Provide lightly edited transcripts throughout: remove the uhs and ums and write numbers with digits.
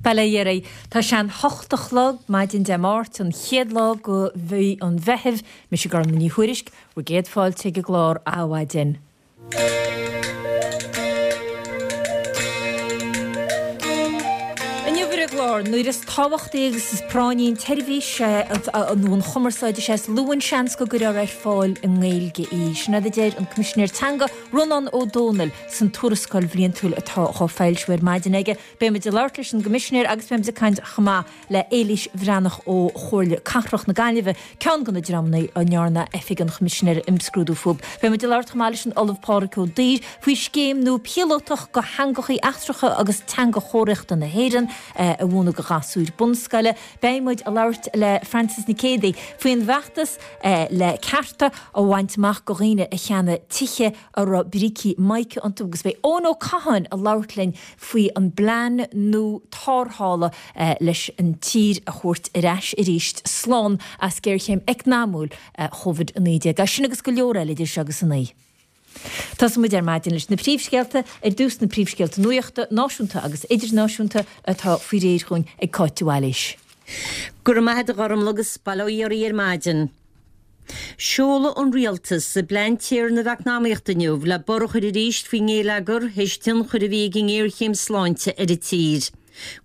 Bail ó Dhia oraibh. Tá sé an hocht a chlog maidin Dé Máirt, an chéad lá de mhí an Mheithimh. Mise Gormfhlaith Ní Thuairisg, bhur gcéad fáilte ag an gclár Adhmhaidin. Inniu ar an gclár, nuair is tábhachtaí agus is práinní an tseirbhís nó an chumarsáid is é is lú an seans go gcuirfear ar fáil i nGaeilge í. Sin rud a deir an Coimisinéir Teanga, Rónán Ó Domhnaill, san tuarascáil bhliantúil atá dhá foilsiú ar maidin aige. Beidh muid ag labhairt leis an gCoimisinéir agus beidh muid ag caint chomh maith le Éilís Bhreathnach ó Chomhairle Cathrach na Gaillimhe, ceann de na dreamanna a ndearna Oifig an Choimisinéara imscrúdú fúthu. Beidh muid ag labhairt chomh maith leis an Ollamh Pádraig Ó Duibhir faoi scéim nua píolótach do theangachaí eachtracha agus teanga chomharthaíochta na hÉireann a mhúineadh do ghasúir bunscoile. Beidh muid ag labhairt le Frances Nic Géadaigh faoin bhfeachtas le cearta a bhaint amach do dhaoine a cheannaigh tithe a raibh brící mica iontu agus beidh Eoin Ó Catháin ag labhairt linn faoi an bplean nua tarrthála leis an tír a thabhairt ar ais arís slán as géarchéim eacnamúil Covid-19. É sin agus go leor eile idir seo agus a 9. Tosóidh muid ar maidin leis na príomhscéalta, ar dtús na príomhscéalta nuachta, náisiúnta agus idirnáisiúnta, atá faoi réir dhúinn ag Cáit de Bhailís. Go raibh maith agat a Ghormfhlaith agus bail ó Dhia oraibh ar maidin. Seolfaidh an Rialtas a bplean téarnaimh eacnamaíochta inniu le borradh a chur arís faoin ngéilleagar théis tionchair a bhí ag an ngéarchéim sláinte ar an tír.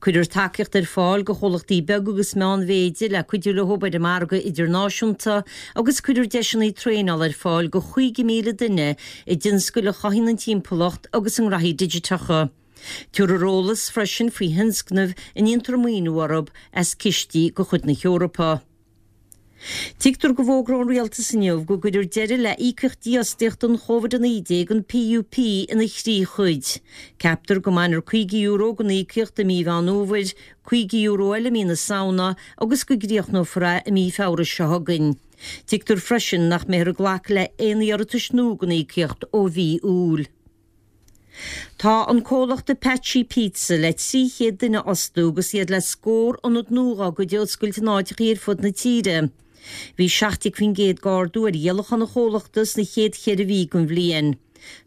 Cuirfear tacaíocht ar fáil do chomhlachtaí beaga agus meánmhéide le cuidiú leo ar an margadh idirnáisiúnta agus cuirfear deiseanna traenála ar fáil do 50,000 duine i dtionscail a chothaíonn an timpeallacht agus i ngraithí digiteacha. Tabharfar eolas freisin faoi thionscnaimh a ndéantar maoiniú orthu as cistí de chuid na hEorpa. Tuigtear go bhfógróidh an Rialtas inniu go gcuirfear deireadh le híocaíocht dífhostaíochta don Chóvid-19, an PUP, ina thrí chuid. Ceaptar go mbainfear €50 den íocaíocht i mí Mheán Fhómhair, €50 eile i mí na Samhna agus go gcríochnófar é i mí Feabhra seo chugainn. Tuigtear freisin nach mbeifear ag glacadh le haon iarratais nua don íocaíocht ó mhí Iúil. Tá an comhlacht Apache Pizza le 300 duine a fhostú agus iad le scór ionad nua dhá gcuid a oscailt in áiteachaí ar fud na tíre. Bhí 17% d'ardú ar dhíolachán an chomhlachta sna chéad cheithre mhí den bhliain.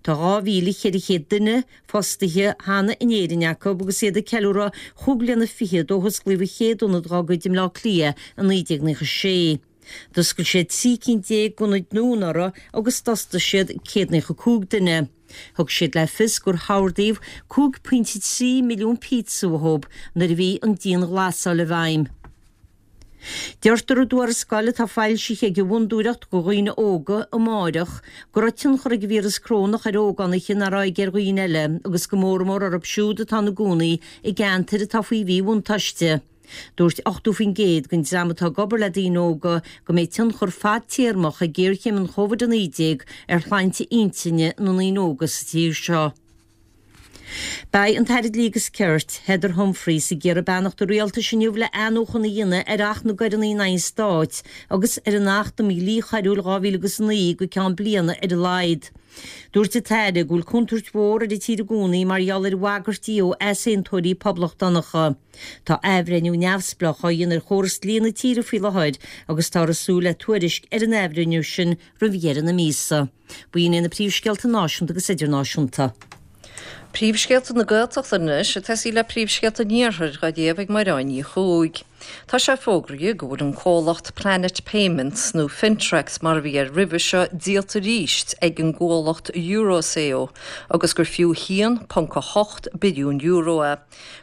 Tá 2,400 duine fostaithe cheana in Éirinn acu agus iad ag ceiliúradh chúig bliana fichead ó hosclaíodh an chéad ionad dhá gcuid i mBleá Cliath i 1996. D'oscail siad 13 cinn d'ionaid nua anuraidh agus d'fhostaigh siad 195 duine. Thug siad le fios gur hordaíodh 5.3 milliún píotsa uathu nuair a bhí an dianghlasáil i bhfeidhm. Deirtear i dtuarascáil atá foilsithe ag an bhFondúireacht do Dhaoine Óga, Amárach, go raibh tionchar ag an víreas corónach ar ógánaigh nach raibh aige ar dhaoine eile agus go mór mór orthu siúd atá ina gcónaí i gceantair atá faoi mhíbhuntáiste. Dúirt 80% den dream atá ag obair le daoine óga go mbeidh tionchar fadtéarmach ag géarchéim an Chóvid-19 ar shláinte intinne na ndaoine óga sa tír seo. Beidh an tAire Dlí agus Cirt, Heather Humphreys, ag iarraidh beannacht an Rialtais inniu le athnuachan a dhéanamh ar Acht na gCoireanna in aghaidh an Stáit agus ar an Acht um Dhlí Choiriúil 2009 go ceann bliana ar a laghad. Dúirt an tAire go bhfuil contúirt mhór ar an tír i gcónaí mar gheall ar bhagairtí ó easaontóirí poblachtánacha. Tá athbhreithniú neamhspleách á dhéanamh ar chóras dlí na tíre faoi láthair agus táthar ag súil le tuairisc ar an athbhreithniú sin roimh dheireadh na míosa. B'in iad na príomhscéalta náisiúnta agus idirnáisiúnta. Príomhscéalta na Gaeltachta anois, ag tosaí le príomhscéalta an Iarthair dhá léamh ag Mairéad Ní Chuaig. Tá sé fógraithe go bhfuil an comhlacht Planet Payments, nó Fintrex mar a bhí air roimhe seo, díolta arís ag an gcomhlacht Eurazeo agus gur fiú €1.8 billiún é.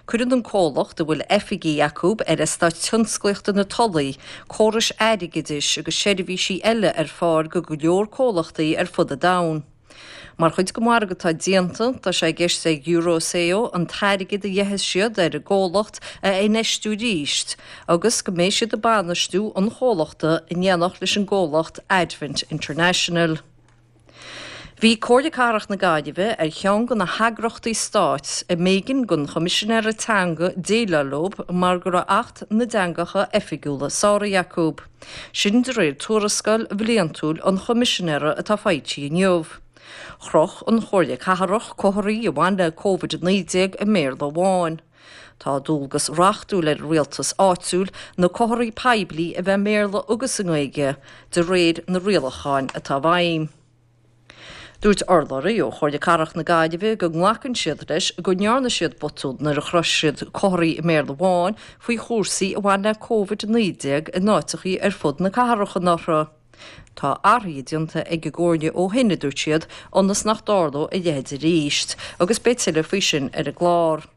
Cuireann an comhlacht, a bhfuil oifigí acu ar Eastát Tionsclaíochta na Tulaí, córais airgeadais agus seirbhísí eile ar fáil go go leor comhlachtaí ar fud an domhain. Mar chuid den mhargadh atá déanta, tá sé i gceist ag Eurazeo an t-airgead a gheibheas siad ar an gcomhlacht a infheistiú arís agus go mbeidh siad ag bainistiú an chomhlachta in éineacht leis an gcomhlacht Advent International. Bhí Comhairle Cathrach na Gaillimhe ar cheann de na heagrachtaí stáit a mb'éigean don Choimisinéara Teanga déileáil leo mar go raibh Acht na dTeangacha Oifigiúla sáraithe acu. Sin de réir tuarascáil bhliantúil an Choimisinéara atá foilsithe inniu. Chroch an Chomhairle Cathrach comharthaí a bhain le Covid-19 i mBéarla amháin. Tá dualgas reachtúil ar an rialtas áitiúil na comharthaí poiblí a bheith i mBéarla agus i nGaeilge, de réir na rialacháin atá i bhfeidhm. Dúirt urlabhraí ó Chomhairle Cathrach na Gaillimhe go nglacann siad leis go ndearna siad botún nuair a chroch siad comharthaí i mBéarla amháin faoi chúrsaí a bhain le Covid-19 in áiteachaí ar fud na cathrach anuraidh. Tá athruithe déanta ag an gComhairle ó shin, a dúirt siad, ionas nach dtarlódh a leithéid arís, agus beidh tuilleadh faoi sin ar an gclár.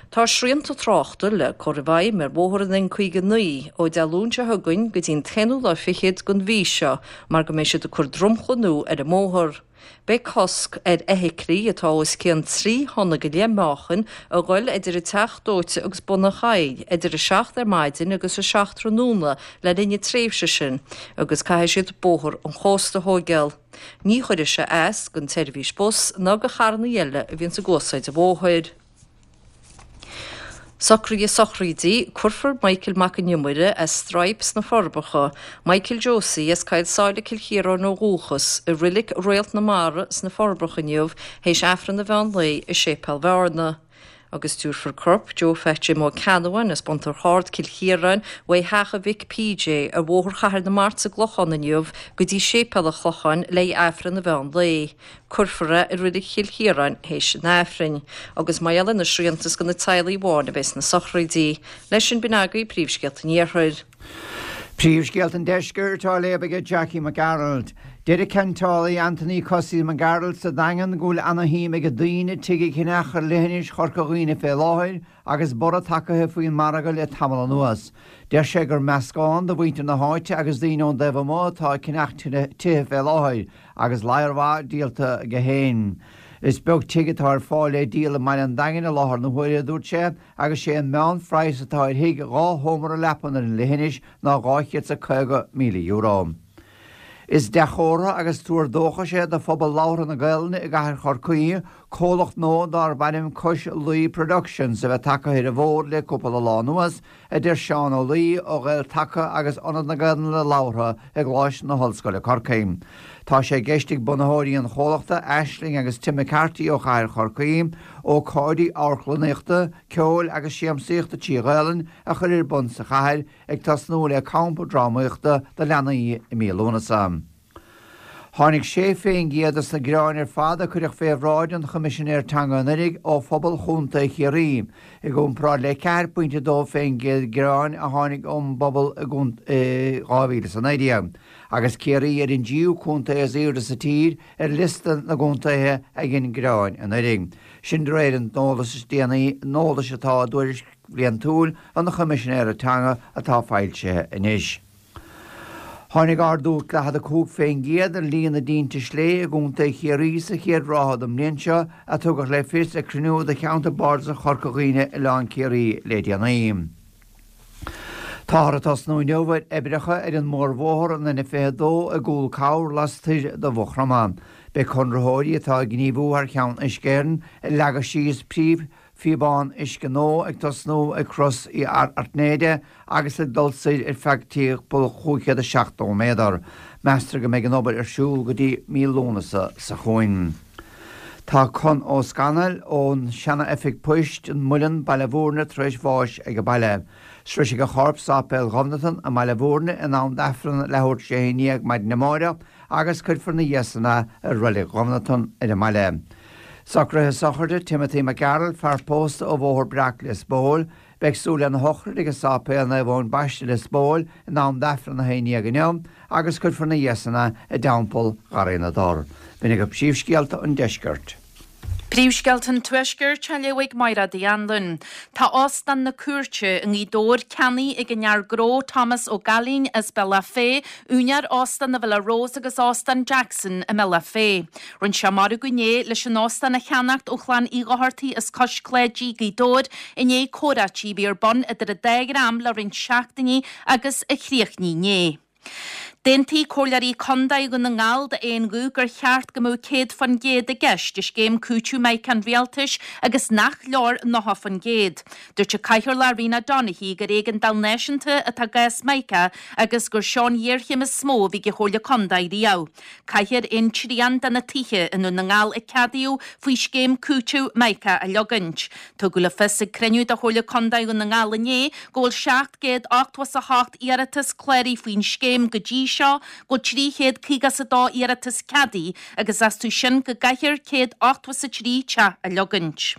Tá srianta tráchta le cur i bhfeidhm ar bhóthar an N59 ó Dé Luain seo chugainn go dtí an t-aonú lá fichead den mhí seo mar go mbeidh siad ag cur dromchla nua ar an mbóthar. Beidh cosc ar fheithiclí atá os cionn 3 thonna go leith meáchain a ghoil idir an Teach Dóite agus Bun an Choill idir 7 ar maidin agus 7 tráthnóna le linn na tréimhse sin agus caithfidh siad Bóthar an Chósta a thóigeáil. Ní chuirfidh sé as don tseirbhís bus ná do charrannaí eile a bhíonns ag úsáid an bhóthair. Socruithe sochraidí, Cuirfear Michael Mac an Iomaire as Straidhp sna Forbacha, Michael Josie as Coill Sáile Cill Chiaráin ó dhúchas, i Roilig Réalt na Mara sna Forbacha inniu théis Aifreann an mheán lae i Séipéal Bhearna. Agus tabharfar corp Joe Phat Jim Ó Ceannabháin as Bun Tor Ard, Cill Chiaráin, uaidh theach a mhic PJ ar Bhóthar Chathair na Mart sa gClochán inniu go dtí Séipéal an Chlocháin le haghaidh Aifreann an mheán lae. Cuirfear é i Reilig Chill Chiaráin théis an Aifrinn. Agus mar gheall ar na srianta is do na teaghlaigh amháin a bheas na sochraidí. Leis sin b'in agaibh príomhscéalta an Iarthair. Príomhscéalta an Deiscirt á léamh aige Jackie Mac Gearailt. Deir an ceantálaí Anthony Cosaí Mac Gearailt sa Daingean go bhfuil ana-shuim ag daoine tigh a cheannach ar leithinis Chorca Dhuibhne fé láthair agus borradh tagaithe faoin margadh le tamall anuas. Deir sé gur meascán de mhuintir na háite agus daoine ón dtaobh amuigh atá ag ceannach tithe fé láthair agus ladhar mhaith díolta aige féin. Is beag tigh atá ar fáil le díol i mbaile an Daingin i láthair na huaire, a dúirt sé, agus sé an meán-phraghas atá ar thigh 2 sheomra leapan ar an leithinis ná €250,000. Is dea-chomhartha agus tuar dóchais é do phobal labhartha na Gaelainne i gcathair Chorcaí comhlacht nua darb ainm Cois Laoi Productions a bheith tagtha ar an bhfód le cúpla lá anuas, a deir Seán Ó Laoi ó Ghael-Taca agus Ionad na Gaelainne Labhartha i gColáiste na hOllscoile Corcaigh. Tá sé i gceist ag bunaitheoirí an chomhlachta, Aisling agus Tim McCarthy ó chathair Chorcaí, ócáidí amharclannaíochta, ceoil agus siamsaíochta trí Ghaelainn a chur ar bun sa chathair, ag tosnú le campa drámaíochta do leanaí i mí Lúnasa. Tháinig 6% dos na gearáin ar fad a cuireadh fé bhráid an Choimisinéir Teanga anuraidh ó phobal Chontae Chiarraí, i gcomparáid le 4.2% gearáin a tháinig ón bpobal i 2019, agus Ciarraí ar an dtríú contae is aoirde sa tír ar liosta na gcontaetha a ghin gearáin anuraidh. Sin de réir an eolais is déanaí an eolais atá i dtuairisc bhliantúil an Choimisinéara Teanga atá foilsithe anois. Tháinig ardú 45% ar líon na dtinte slé i gContae Chiarraí sa chéad ráithe den mbliain seo, a tugadh le fios ag cruinniú de Cheantar Bardasach Chorca Dhuibhne Oileán Ciarraí le déanaí. Táthar ag tosnú inniu ar oibreacha ar an mórbhóthar an N22 i gCúl Cabhair lastoir de Mhaigh Chromtha. Beidh conraitheoirí atá ag gníomhú thar cheann Uisce Éireann ag leagadh síos príomh Phíobán uisce nua ag tosnú ag Crois Uí Airtnéide agus ag dul soir ar feadh timpeall 570 méadar. Meastar go mbeidh an obair ar siúl go dtí mí Lúnasa seo chugainn. Tá Con Ó Scanaill ón seana-oifig poist, An Muileann, Baile Bhúirne tar éis bháis ag baile. Sroisfidh a chorp Sáipéal Ghobnatan i mBaile Bhúirne in am d'Aifreann leathuair tar éis a 11 maidin amáireach agus cuirfear ina dhiaidh san é i Reilig Ghobnatan ar an mbaile. Socruithe sochraide Timothy Mac Gearailt, fear pósta ó Bhóthar Breac, Lios Póil. Beidh súil lena shochraid ag an Sáipéal Naomh Eoin Baiste, Lios Póil, in am d'Aifreann 11 inniu agus cuirfear ina dhiaidh san é i dTeampall Gharraí na dTor. B'in agaibh príomhscéalta an deiscirt. Príomhscéalta an Tuaiscirt á léamh ag Mairéad Uí Anluain. Tá Óstán na Cúirte i nGaoth Dobhair ceannaithe ag an fhear gnó Thomas Ó Gaillín as Bealach Féich, úinéir Óstán na Villa Rose agus Óstán Jackson i mBealach Féich. Rinne sé margadh inné leis an óstán a cheannacht ó chlann Uí Dhochartaigh as Cois Cláidí, Gaoth Dobhair, i ndiaidh comhráití a bhí ar bun idir an dá dhream le roinnt seachtainí agus a chríochnaigh inné. D'aontaigh Comhairleoirí Contae Dhún na nGall d'aon ghuth gur cheart go mbeadh 100% i gceist i scéim cúiteamh Mica an Rialtais agus nach leor 90%. Dúirt an Cathaoirleach Rena Donaghey gur éigeandáil náisiúnta atá i gcás Mica agus gur seo an ghéarchéim is mó a bhí ag an Chomhairle Contae riamh. Caithfear aon trian de na tithe i nDún na nGall a ceadaíodh faoi scéim cúitimh Mica a leogaint. Tugadh le fios ag cruinniú de Chomhairle Contae Dhún na nGall inné go bhfuil 788 iarratas cláraithe faoin scéim go dtí seo. seo go bhfuil 352 iarratas ceadaithe agus astu sin go gcaithfear 183 teach a leogaint.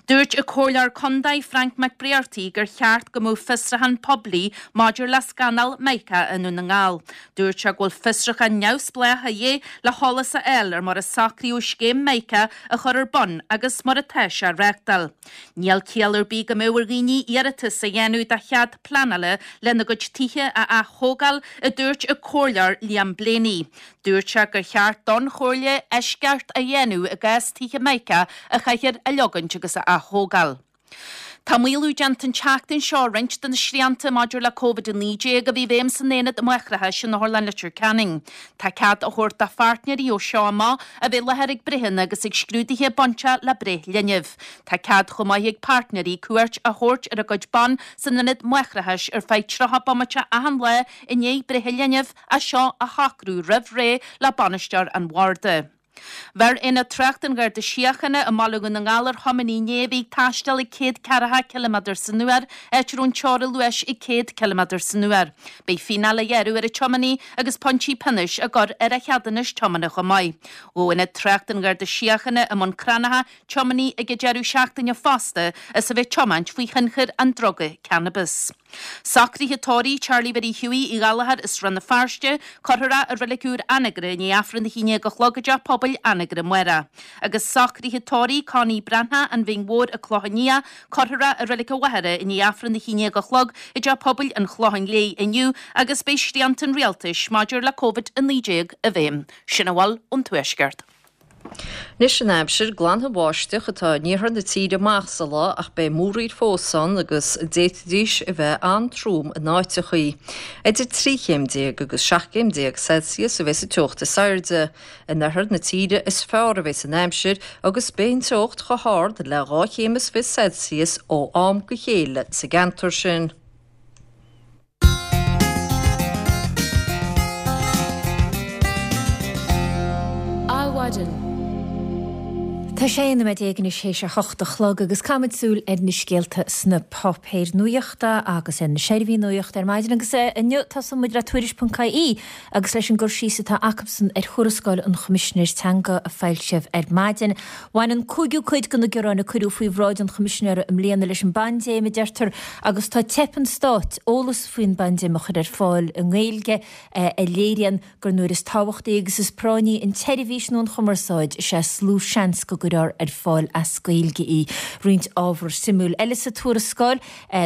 Dúirt an Comhairleoir Contae Frank McBrearty gur cheart go mbeadh fiosrúchán poiblí maidir le scannal Mica i nDún na nGall. Dúirt sé go bhfuil fiosrúchán neamhspleách a dhíth le heolas a fháil ar mar a socraíodh scéim Mica a chur ar bun agus mar atá sé á reáchtáil. Níl ciall ar bith go mbeadh ar dhaoine iarratas a dhéanamh do chead pleanála lena gcuid tithe a ath-thógáil, a dúirt an Comhairleoir Liam Blaney. Dúirt sé gur cheart don Chomhairle eisceacht a dhéanamh i gcás tithe Mica a chaithfear a leogaint agus a ath-thógáil. Tá maolú déanta an tseachtain seo ar roinnt de na srianta maidir le Covid-19 a bhí i bhfeidhm san aonad máithreachais in Otharlann Leitir Ceanainn. Tá cead á thabhairt do pháirtnéirí ó seo amach a bheith i láthair ag breitheanna agus ag scrúduithe bainteach le breith linbh. Tá cead chomh maith ag páirtnéirí cuairt a thabhairt ar a gcuid ban san ionad máithreachais ar feadh 30 bomaite achan lá i ndiaidh breithe linbh, é seo a shocrú roimh ré le bainisteoir an bharda. Bheir Aonad Tráchta an Gharda Síochána i mBaile Dhún na nGall ar thiománaí inné a bhí ag taisteal ag 100 ceathracha ciliméadar san uair, áit a raibh an teora luais ag 100 ciliméadar san uair. Beidh fíneáil á ghearradh ar an tiománaí agus pointí pionóis á gcur ar a cheadúnas tiomána chomh maith. Ghabh Aonad Tráchta an Gharda Síochána i mBun Cranncha tiománaí ag an deireadh seachtaine fosta as a bheith ag tiomáint faoi thionchar an druga cannabis. Socruithe tórraimh Charlie Mhary Hughie Uí Ghallchóir as Rann na Feirste, cuirfear é i Reilig Úr Anagaire i ndiaidh Aifreann 11 a chlog i dTeach Pobail Anagaire amárach. Agus socruithe tórraimh Connie Breathnach, An Bhinn Mhór, An Clochán Liath, cuirfear é i Reilig an Mhachaire i ndiaidh Aifreann 11 a chlog i dTeach Pobail an Chlocháin Léith inniu agus beidh srianta an Rialtais maidir le Covid-19 i bhfeidhm. Sin a bhfuil ón Tuaisceart. Anois an aimsir, glanfaidh an bháisteach atá in iarthar na tíre amach sa lá ach beidh múraíl fós ann agus d'fhéadfaidís a bheith an-trom in áiteachaí. Idir 13 chéim agus 17 céim Celsius a bheas an teocht is airde. In oirthear na tíre is fearr a bheas an aimsir agus beidh an teocht chomh hard le 2 chéim is fiche Celsius ó am go chéile sa gceantar sin. Adhmhaidin. Tá 16 nóiméad anois théis a hocht a chlog agus caithfimid súil ar na scéalta sna páipéir nuachta agus ar na seirbhísí nuachta ar maidin agus inniu tosóidh muid le Tuairisc.ie agus leis an gcur síos atá acusan ar thuarascáil an Choimisinéir Teanga a foilsíodh ar maidin. Bhain an cúigiú cuid de na gearáin a cuireadh faoi bhráid an Choimisinéara i mbliana leis an bpaindéim, a deirtear, agus tá teip an stáit eolas faoin bpaindéim a chur ar fáil i nGaeilge a léiríonn gur nuair is tábhachtaí agus is práinní an tseirbhís nó an chumarsáid is é is lú seans go gcuirfear ar fáil as Gaeilge í. Roinnt ábhar suimiúil eile sa tuarascáil.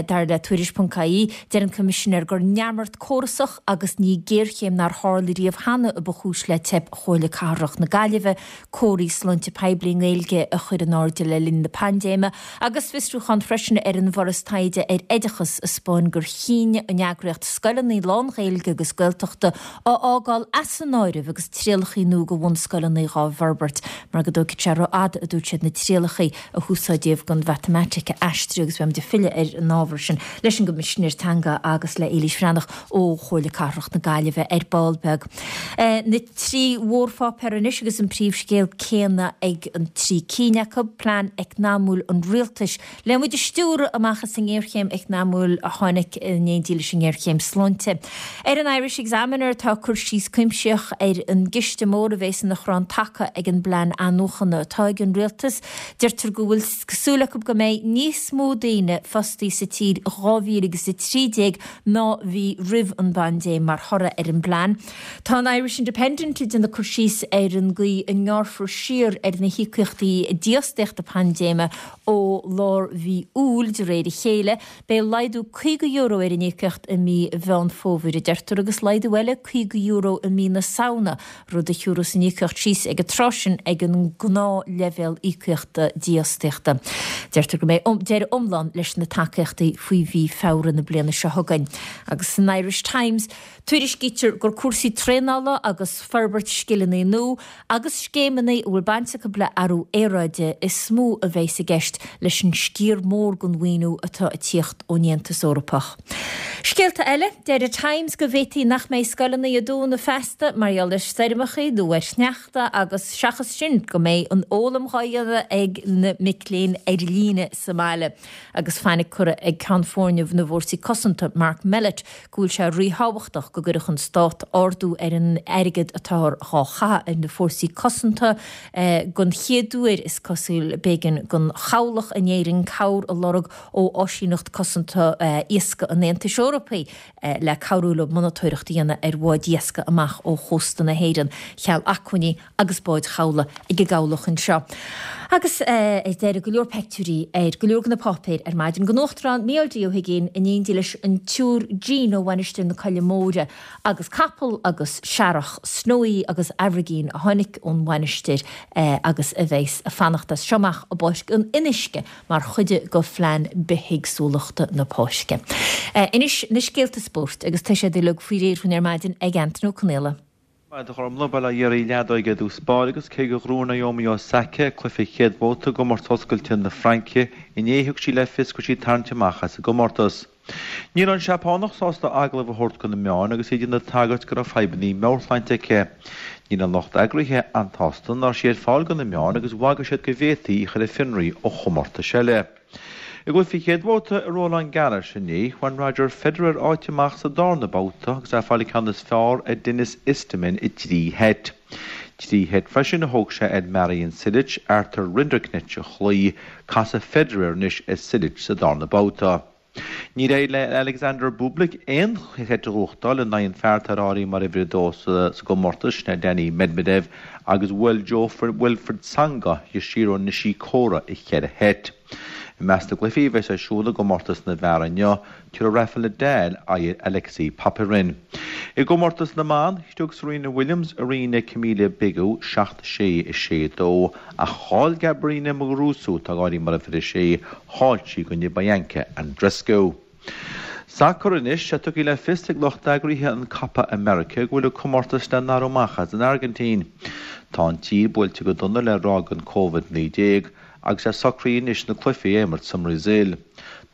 Dar le Tuairisc.ie, deir an Coimisinéir gur neamart córasach agus ní géarchéim nár tharla riamh cheana a ba chúis le teip Chomhairle Cathrach na Gaillimhe comharthaí sláinte poiblí i nGaeilge a chur in airde le linn na paindéime agus fiosrúchán freisin ar an bhForas Taighde ar Oideachas a 'spáin gur chinn an eagraíocht scoileanna lán-Ghaeilge agus Gaeltachta a fhágáil as an áireamh agus trialachaí nua do bhunscoileanna dhá bhforbairt mar go dtógfadh sé ró-fhada, a dúirt siad, na trialachaí a húsáideadh don mhatamaitic a aistriú agus beimid ag filleadh ar an ábhar sin leis an gCoimisinéir Teanga agus le Éilís Bhreathnach ó Chomhairle Cathrach na Gaillimhe ar ball beag. Na trí mhórpháipéar anois agus an príomhscéal céanna ag an trí cinn acu, Plean Eacnamúil an Rialtais le muid a stiúradh amach as an ngéarchéim eacnamúil a tháinig in éindí leis an ngéarchéim sláinte. Ar an Irish Examiner tá cur síos cuimsitheach ar an gciste mór a bhéas ina chrann taca ag an bplean athnuachana atá ag an rialtas. Deirtear go bhfuil súil acu go mbeidh níos mó daoine fostaí sa tír i 2013 ná bhí roimh an bpaindéim mar thoradh ar an bplean. Tá an Irish Independent ag déanamh cur síos ar an gcaoi a ngearrfar siar ar na híocaíochtaí dífhostaíochta paindéime Ó lár mhí Iúil, de réir a chéile, beidh laghdú €50 ar an íocaíocht i mí Mheán Fómhair, a deirtear, agus laghdú eile €50 i mí na Samhna, rud a thiúrfas an íocaíocht síos ag an tráth sin ag an ngnáthleibhéal íocaíochta dífhostaíochta. Deirtear go mbeidh deireadh iomlán leis na tacaíochtaí faoi mhí Feabhra na bliana seo chugainn. Agus san Irish Times, tuairiscítear gur cúrsaí traenála agus forbairt scileanna nua agus scéimeanna a bhfuil baint acu le athrú aeráide is mó a bheas i gceist leis an sciar mór den mhaoiniú atá ag tíocht ón Aontas Eorpach. Scéalta eile, Deir an Times go bhféadfaí nach mbeidh scoileanna ag dúnadh feasta mar gheall ar stoirmeacha nó ar shneachta agus seachas sin go mbeidh an fhoghlaim dhá dhéanamh ag na mic léinn ar líne sa mbaile. Agus fainic curtha ag Ceann Foirne na bhFórsaí Cosanta, Mark Mellett, go bhfuil sé ríthábhachtach go gcuirfeadh an stát ardú ar an airgead atáthar dhá chaitheamh ar na fórsaí cosanta. Don chéad uair, is cosúil, b'éigean don chabhlach in Éirinn cabhair a lorg ó Áisíneacht Cosanta Iascaigh an Aontais Eorpaigh le cabhrú leo monatóireacht a dhéanamh ar bháid iascaigh amach ó chósta na hÉireann, cheal acmhainní agus báid chabhlaigh ag an gcabhlach anseo. Agus ar deireadh, go leor peictiúirí ar go leor de na páipéir ar maidin den Uachtarán Mícheál D. Ó hUigínn in éindí leis an tSiúr Jean ó Mhainistir na Coille Móire agus capall agus searrach Snowy agus Aimhirgín a tháinig ón mhainistir agus a bheas ag fanacht as seo amach i bPáirc an Fhionnuisce mar chuid de phlean bithéagsúlachta na páirce. Anois na scéalta spóirt agus tá siad uilig faoi réir dhúinn ar maidin ag Antaine Ó Conaola. Maith a Ghormlaith, bail ó Dhia oraibh leadóige i dtús báire agus cé gur ghnóthaigh Naomi Osaka cluiche chéad bhabhta i gcomórtas oscailte na Fraince inné thug sí le fios go bhfuil sí ag tarraingt amach as an gcomórtas. Ní raibh an Seapánach sásta agallamh a thabhairt do na meáin agus í ag déanamh tagairt go raibh fadhbanna meabhairshláinte aici. Níl an lucht eagraithe an-tsásta nach raibh sí ar fáil do na meáin agus bhagair siad go bhféadfaí í a chur ar fionraí ó chomórtais eile. I gcluiche chéad bhabhta i Roland Garros inné, bhain Roger Federer áit amach sa darna babhta agus é ag fáil an ceann is fearr ar Denis Istomin i dtrí sheit. 3 sheit freisin a thóg sé ar Marin Cilic, Arthur Rinderknech a chloí, casfaidh Federer anois ar Cilic sa darna babhta. Níor éirigh le Alexander Bublik aon sheit a ghnóthachtáil in aghaidh an fear atá ar áireamh mar uimhir a dó sa gcomórtas, sin é Daniil Medvedev, agus bhuail Jo-Wilfried Tsonga Yoshihiro Nishikori i cheithre sheit. I measc na gcluichí a bheas ar siúl i gcomórtas na bhfear inniu, tabharfaidh Rafael Nadal aghaidh ar Alexei Popyrin. I gcomórtas na mban, shlog Serena Williams ar Camila Begu 7, 6, 6, 2, ach chaill Garbiñe Muguruza, atá á áireamh mar uimhir 6, chaill sí i gcoinne Bianca Andreescu. Sacar anois, tá tugtha le fios ag lucht eagraithe an Copa America go bhfuil an comórtas le n-athrú amach as an Airgintín. Tá an tír buailte go dona le ráig an Covid-19 agus é socraithe anois na cluichí a imirt sa mBrasaíl.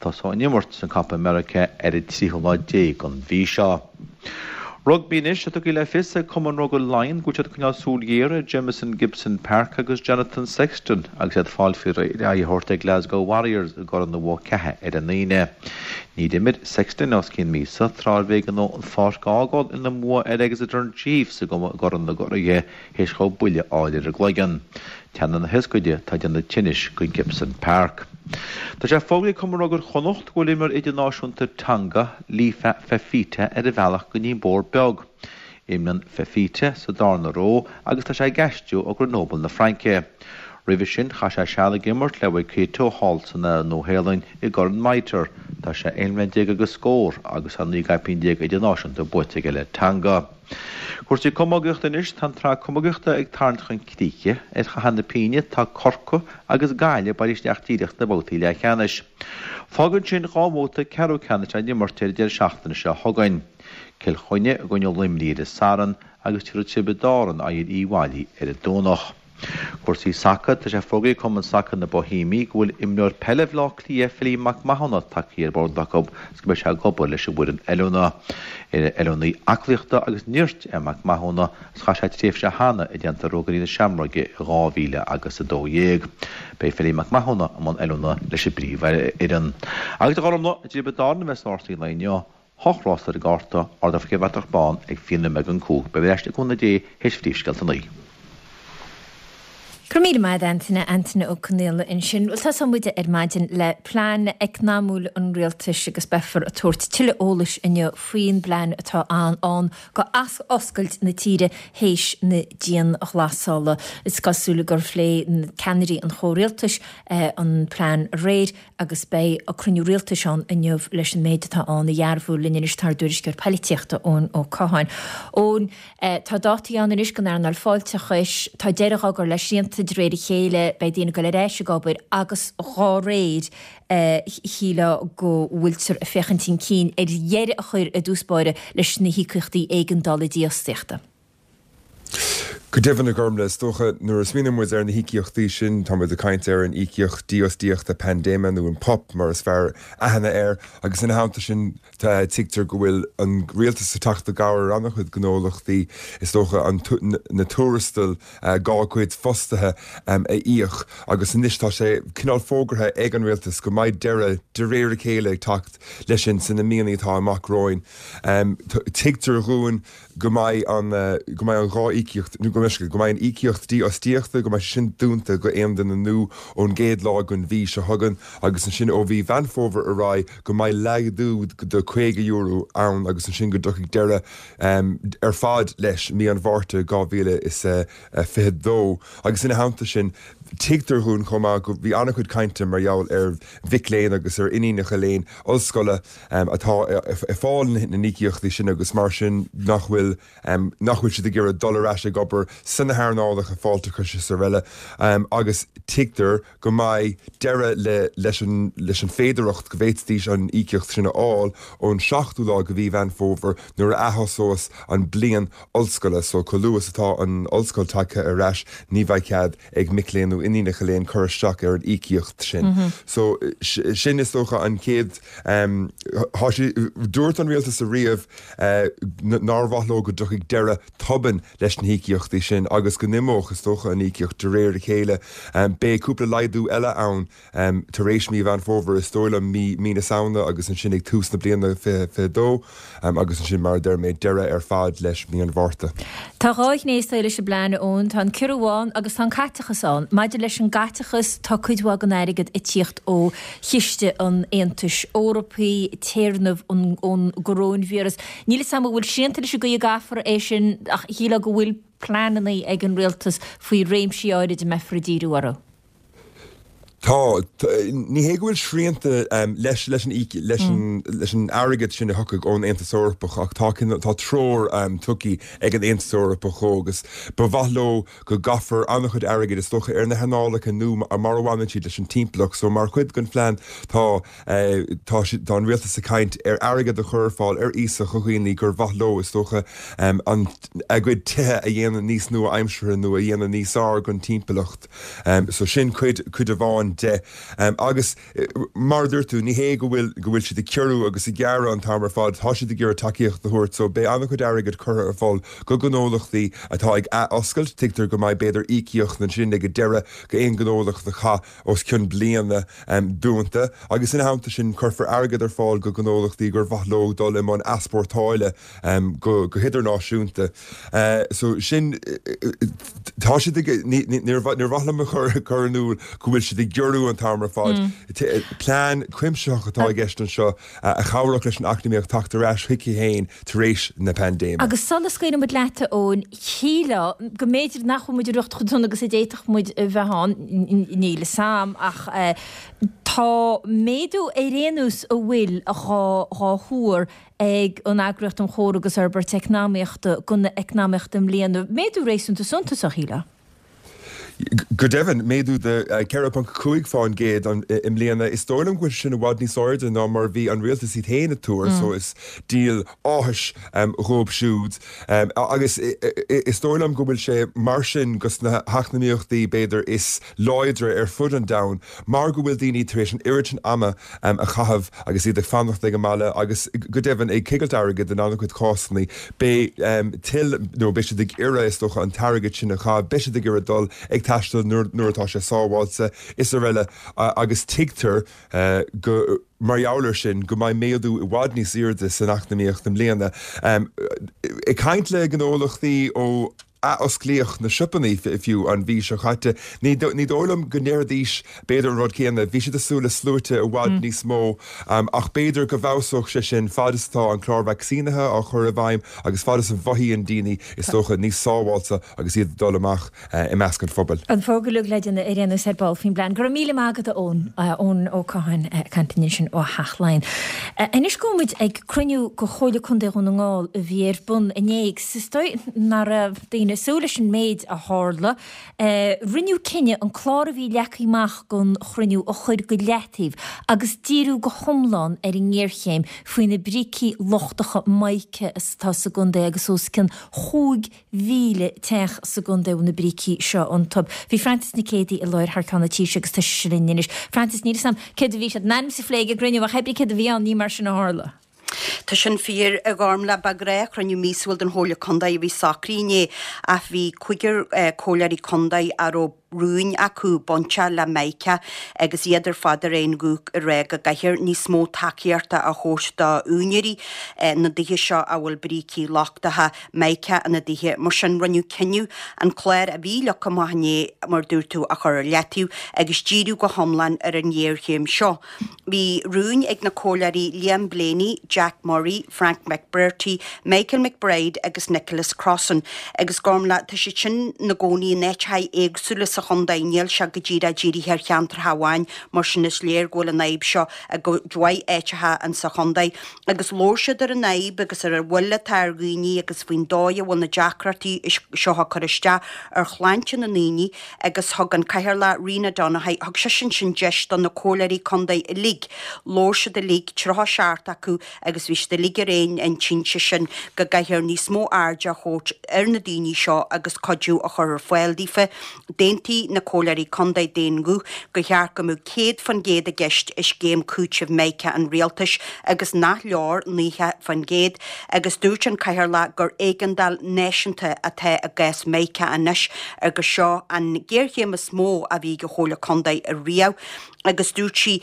Tosóidh an imirt san Copa America ar an tríú lá déag den mhí seo. Rugbaí anois, tá tugtha le fios ag Cumann Rugbaí Laighean go bhfuil siad ag coinneáil súil ghéar ar Jamison Gibson-Park agus Jonathan Sexton agus iad ag fáil faoi réir aghaidh a thabhairt ar Glasgow Warriors i gCorn na Mhogh Ceatha ar an Aoine. Níor imir Sexton os cionn míosa tráth arbh éigean dó an pháirc a fhágáil ina mbua ar Exeter Chiefs i gCorn na gCuraithe théis dhó buille a fháil ar an gcloigeann. Teannán na hioscaide atá ag déanamh tinnis go Gibson-Park. Tá sé fógraithe ag Cumann Rugair Chonnacht go bhfuil imreoir idirnáisiúnta Tonga, Lifea Fifita ar a bhealach go dtí an Bór Beag. Imríonn Fifita sa darna ró agus tá sé ag aistriú ó Grenoble na Fraince. Roimhe sin chaith sé seal ag imirt le Waikato thall san Nua-Shéalainn i gCorn Mitre. Tá sé 11 mbliana agus scór agus tá 19 gcaipín idirnáisiúnta buaite aige le Tonga. Cúrsaí camógaíochta anois, tá an tsraith camógaíochta ag tarraingt chun críche. Ar chathair na pínne tá Corcaigh agus Gaillimh bailithe isteach díreach sna babhtaí leathcheannais. Fágann sin 2 bhabhta ceathrú ceannais á n-imirt ar an deireadh seachtaine seo chugainn. Cill Chainnigh i gcoinne Luimnigh ar an Satharn agus tabharfaidh Tiobraid Árann aghaidh ar Uíbh Fhailí ar an Domhnach. Cúrsaí sacair, Tá sé fógraithe ag Cumann Sacair na Boihéimí go bhfuil imreoir peile Bhaile Átha Cliath, Philly Mac Mathúna, tagtha ar bord acu agus go mbeidh sé ag obair leis an bhfoireann oiliúna. Oiliúnaí aclaíochta agus nirt é Mac Mathúna agus chaith sé tréimhse cheana i dteannta Ruagairí na Seamróige i 2000 agus 12. Beidh Philly Mac Mathúna i mbun oiliúna leis an bpríomhfhoireann. Agus a Ghormfhlaith, i dTiobraid Árann a bheas rásaí an lae inniu. Hocht rás ar an gcárta, ardófar an bhratach bán ag fiche nóiméad don cúig. Beidh mé ar ais le cúnamh Dé théis phríomhscéalta a naoi. Go raibh míle maith agat Antaine, Antaine Ó Conaola ansin. Bhuel tosóidh muid ar maidin le plean eacnamúil an rialtais agus beifear ag tabhairt tuilleadh eolais inniu faoin bplean atá ann go athoscailt na tíre théis na dianghlasála. Is cosúil gur phléigh ceannairí an chomhrialtais an plean aréir agus beidh cruinniú rialtais ann inniu leis an méid atá ann a dhearbhú. Linn anois tá ár dtuairisceoir poilitíochta, Eoin Ó Catháin. Eoin, tá dátaí ann anois don earnáil fáilteachais, tá deireadh á gcur le srianta de réir a chéile, beidh daoine ag dul ar ais ag obair agus dhá réir shílfeá go bhfuiltear ag féachaint chun cinn ar dheireadh a chur i dtús báire leis na híocaíochtaí éigeandála dífhostaíochta. Go deimhin, a Ghormlaith, is dócha nuair a smaoiníonn muid ar na híocaíochtaí sin, tá muid ag caint ar an íocaíocht dífhostaíochta paindéime nó an PUP mar is fearr aithne air agus ina theannta sin tuigtear go bhfuil an rialtas ag teacht i gcabhair ar an-chuid gnólachtaí is dócha an na tuarastail dá gcuid fostaithe a íoc agus anois tá sé cineál fógartha ag an rialtas go mbeidh deireadh de réir a chéile ag teacht leis sin sna míonna atá amach romhainn. Tuigtear dhúinn go mbeidh an, go mbeidh an dá íocaíocht, nó go mbeidh, go mbeidh an íocaíocht dífhostaíochta, go mbeidh sé sin dúnta go aon duine nua ón gcéad lá den mhí seo chugainn agus ansin ó mhí Mheán Fómhair ar aghaidh go mbeidh laghdú de €50 ann agus ansin go dtiocfaidh deireadh ar fad leis mí an Mhárta 2022. Agus ina theannta sin, tuigtear dhúinn chomh maith go, bhí an-chuid cainte mar gheall ar mhic léinn agus ar iníonacha léinn ollscoile, atá ag fáil na n-íocaíochtaí sin agus mar sin nach bhfuil nach bhfuil siad ag iarraidh dul ar ais ag obair sna hearnálacha fáilteachais is araile agus tuigtear go mbeidh deireadh le leis an leis an féidearthacht go bhféadfaidís an íocaíocht sin a fháil ón seachtú lá de mhí Mheán Fómhair nuair a athosós an bliain ollscoile so chomh luath is atá an ollscoil tagtha ar ais ní bheidh cead ag mic léinn nó iníonacha léinn cur isteach ar an íocaíocht sin. So, sin is dócha an chéad, tá sé, dúirt an rialtas ariamh nár mhaith leo go dtiocfaidh deireadh tobann leis na híocaíochtaí sin agus go n-imeodh, is dócha, an íocaíocht de réir a chéile. Beidh cúpla laghdú eile ann. Tar éis mí Mheán Fómhair, is dóigh liom, mí mí na Samhna agus ansin ag tús na bliana 2022 agus ansin, mar a deir mé, deireadh ar fad leis mí an Mhárta. Tá dhá ghné is dóigh leis an bplean, a Eoin. Tá an ciorrú ann agus tá an caiteachas ann. Maidir leis an gcaiteachas, tá cuid mhaith den airgead ag tíocht ó chiste an Aontais Eorpaigh, téarnamh ón gcoróinvíreas. Níl 'fhios a'm an bhfuil srianta leis an gcaoi a gcaithfear é sin ach shílfeá go bhfuil pleananna ag an rialtas faoi réimsí áirid a mbeifear ag díriú orthu. Tá. Ní hé go bhfuil srianta leis leis an leis an leis an airgead sin a thiocfaidh ón Aontas Eorpach ach tá tá treoir tugtha ag an Aontas Eorpach dhó agus ba mhaith leo go gcaithfear an-chuid airgid is dócha ar na hearnálacha nó mar a bhaineann siad leis an timpeallacht. So mar chuid den phlean tá tá tá an rialtas ag caint ar airgead a chur ar fáil ar iasacht do dhaoine gur mhaith leo is dócha an a gcuid tithe a dhéanamh níos nua-aimseartha nó a dhéanamh níos fearr don timpeallacht. So sin cuid, cuid amháin de. Agus mar a dúirt tú, ní hé go bhfuil, go bhfuil siad ag ciorrú agus ag gearradh an t-am ar fad, tá siad ag iarraidh tacaíocht a thabhairt. So beidh an-chuid airgid curtha ar fáil go gnólachtaí atá ag ath-oscailt. Tuigtear go mbeidh b'fhéidir íocaíocht ansin ag an deireadh go aon ghnólacht a chaith os cionn bliana dúnta. Agus ina theannta sin cuirfear airgead ar fáil go gnólachtaí gur mhaith leo dul i mbun easpórtáile go hidirnáisiúnta. So sin, tá siad ag, níor mhaith liom a chur in iúl go bhfuil siad ag giorrú an t-am ar fad. Plean cuimsitheach atá i gceist anseo a chabhródh leis an eacnamaíocht teacht ar ais chuici féin tar éis na paindéime. Agus sula scaoileann muid leat, a Eoin, shílfeá go mb'fhéidir nach bhfuil muid ag riocht chomh dona agus a d'fhéadfadh muid a bheith ann, níl 'fhios a'm, ach tá méadú ar aon nós a bhfuil dhá thuar ag an Eagraíocht um Chomhar agus Fhorbairt Eacnamaíochta don eacnamaíocht i mbliana, méadú réasúnta suntasach, shílfeá. Go deimhin, méadú de 4.5 fán gcéad i mbliana. Is dóigh liom go bhfuil sé sin i bhfad níos airde ná mar a bhí an rialtas iad féin ag tuar, so is díol áthais dhóibh siúd. Agus is dóigh liom go bhfuil sé mar sin go sna heacnamaíochtaí b'fhéidir is láidre ar fud an domhain, mar go bhfuil daoine tar éis an oiread sin ama a chaitheamh agus iad ag fanacht ag an mbaile agus go deimhin ag coigilt airgid in an-chuid cásanna. Beidh tuilleadh, nó beidh siad ag iarraidh is dócha an t-airgead sin a chaitheamh, beidh siad ag iarraidh dul ag taisteal nuair atá sé sábháilte is araile agus tuigtear go, mar gheall air sin, go mbeidh méadú i bhfad níos airde san eacnamaíocht i mbliana. Ag caint le gnólachtaí ó. athosclaíodh na siopannaí fiú an mhí seo caite. Ní dóigh liom go ndéarfaidís b'fhéidir an rud céanna. Bhí siad ag súil le sluaite i bhfad níos mó ach b'fhéidir go bhfeabhsódh sé sin fad is atá an clár vacsaínithe á chur i bhfeidhm agus fad is a mhothaíonn daoine is dócha níos sábháilte agus iad ag dul amach i measc an phobail. An fógra uilig le déanamh ar aon nós ar ball faoin bplean. Go raibh míle maith agat a Eoin. Eoin Ó Catháin ag caint linn ansin ó Theach Laighean. Anois gabhfaidh muid ag cruinniú de Chomhairle Contae Dhún na nGall a bhí ar bun inné agus is dóigh nach raibh daoine. daoine ag súil leis an méid a tharla. Rinneadh cinneadh an clár a bhí leagtha amach don chruinniú a chur go leataobh agus díriú go hiomlán ar an ngéarchéim faoi na brící lochtacha mica atá sa gcontae agus os cionn 5,000 teach sa gcontae a bhfuil na brící seo iontu. Bhí Frances Nic Géadaigh i láthair thar ceann an Taoisigh agus tá sise linn anois. Frances, níl 'fhios a'm céard a bhí siad in ainm is a phlé ag an gcruinniú ach pé brí céard a bhí ann ní mar sin a tharla. Tá sin fíor, a Ghormlaith. Ba ghnáthchruinniú míosúil den Chomhairle Contae a bhí socraithe inné ach bhí cúigear comhairleoirí contae a raibh rúin acu bainteach le Mica agus iad ar fad ar aon ghuth ag rá go gcaithfear níos mó tacaíochta a thabhairt d'úinéirí na dtithe seo a bhfuil brící lochtacha Mica ina dtithe. Mar sin rinneadh cinneadh an clár a bhí leagtha amach inné, mar a dúirt tú, a chur ar leataobh agus díriú go hiomlán ar an ghéarchéim seo. Bhí rúin ag na comhairleoirí Liam Blaney, Jack Murray, Frank McBrearty, Michael McBride agus Nicholas Crossan agus Gormlaith, tá siad sin ina gcónaí in áiteacha éagsúla sa chontae, níl sé go díreach dírithe ar cheantracha amháin, mar sin is léir go bhfuil an fhadhb seo i gcuid mhaith áiteacha insa chontae. Agus labhair siad ar an fhadhb agus ar an mhoill atá ar dhaoine agus faoin dóigh a bhfuil na deacrachtaí seo ag cur isteach ar shláinte na ndaoine agus thug an Cathaoirleach Ríona Donaghy, thug sise ansin deis do na comhairleoirí contae uilig, labhair siad uilig, 37 acu, agus bhí siad uilig ar aon intinn, sé sin go gcaithfear níos mó airde a thabhairt ar na daoine seo agus cuidiú a chur ar fáil daofa. D'aontaigh na comhairleoirí contae d'aon ghuth gur cheart go mbeadh 100% i gceist i scéim cúitimh Mica an rialtais agus nach leor 90% agus dúirt an Cathaoirleach gur éigeandáil náisiúnta atá i gcás Mica anois agus seo an ghéarchéim is mó a bhí ag an Chomhairle Contae riamh agus dúirt sí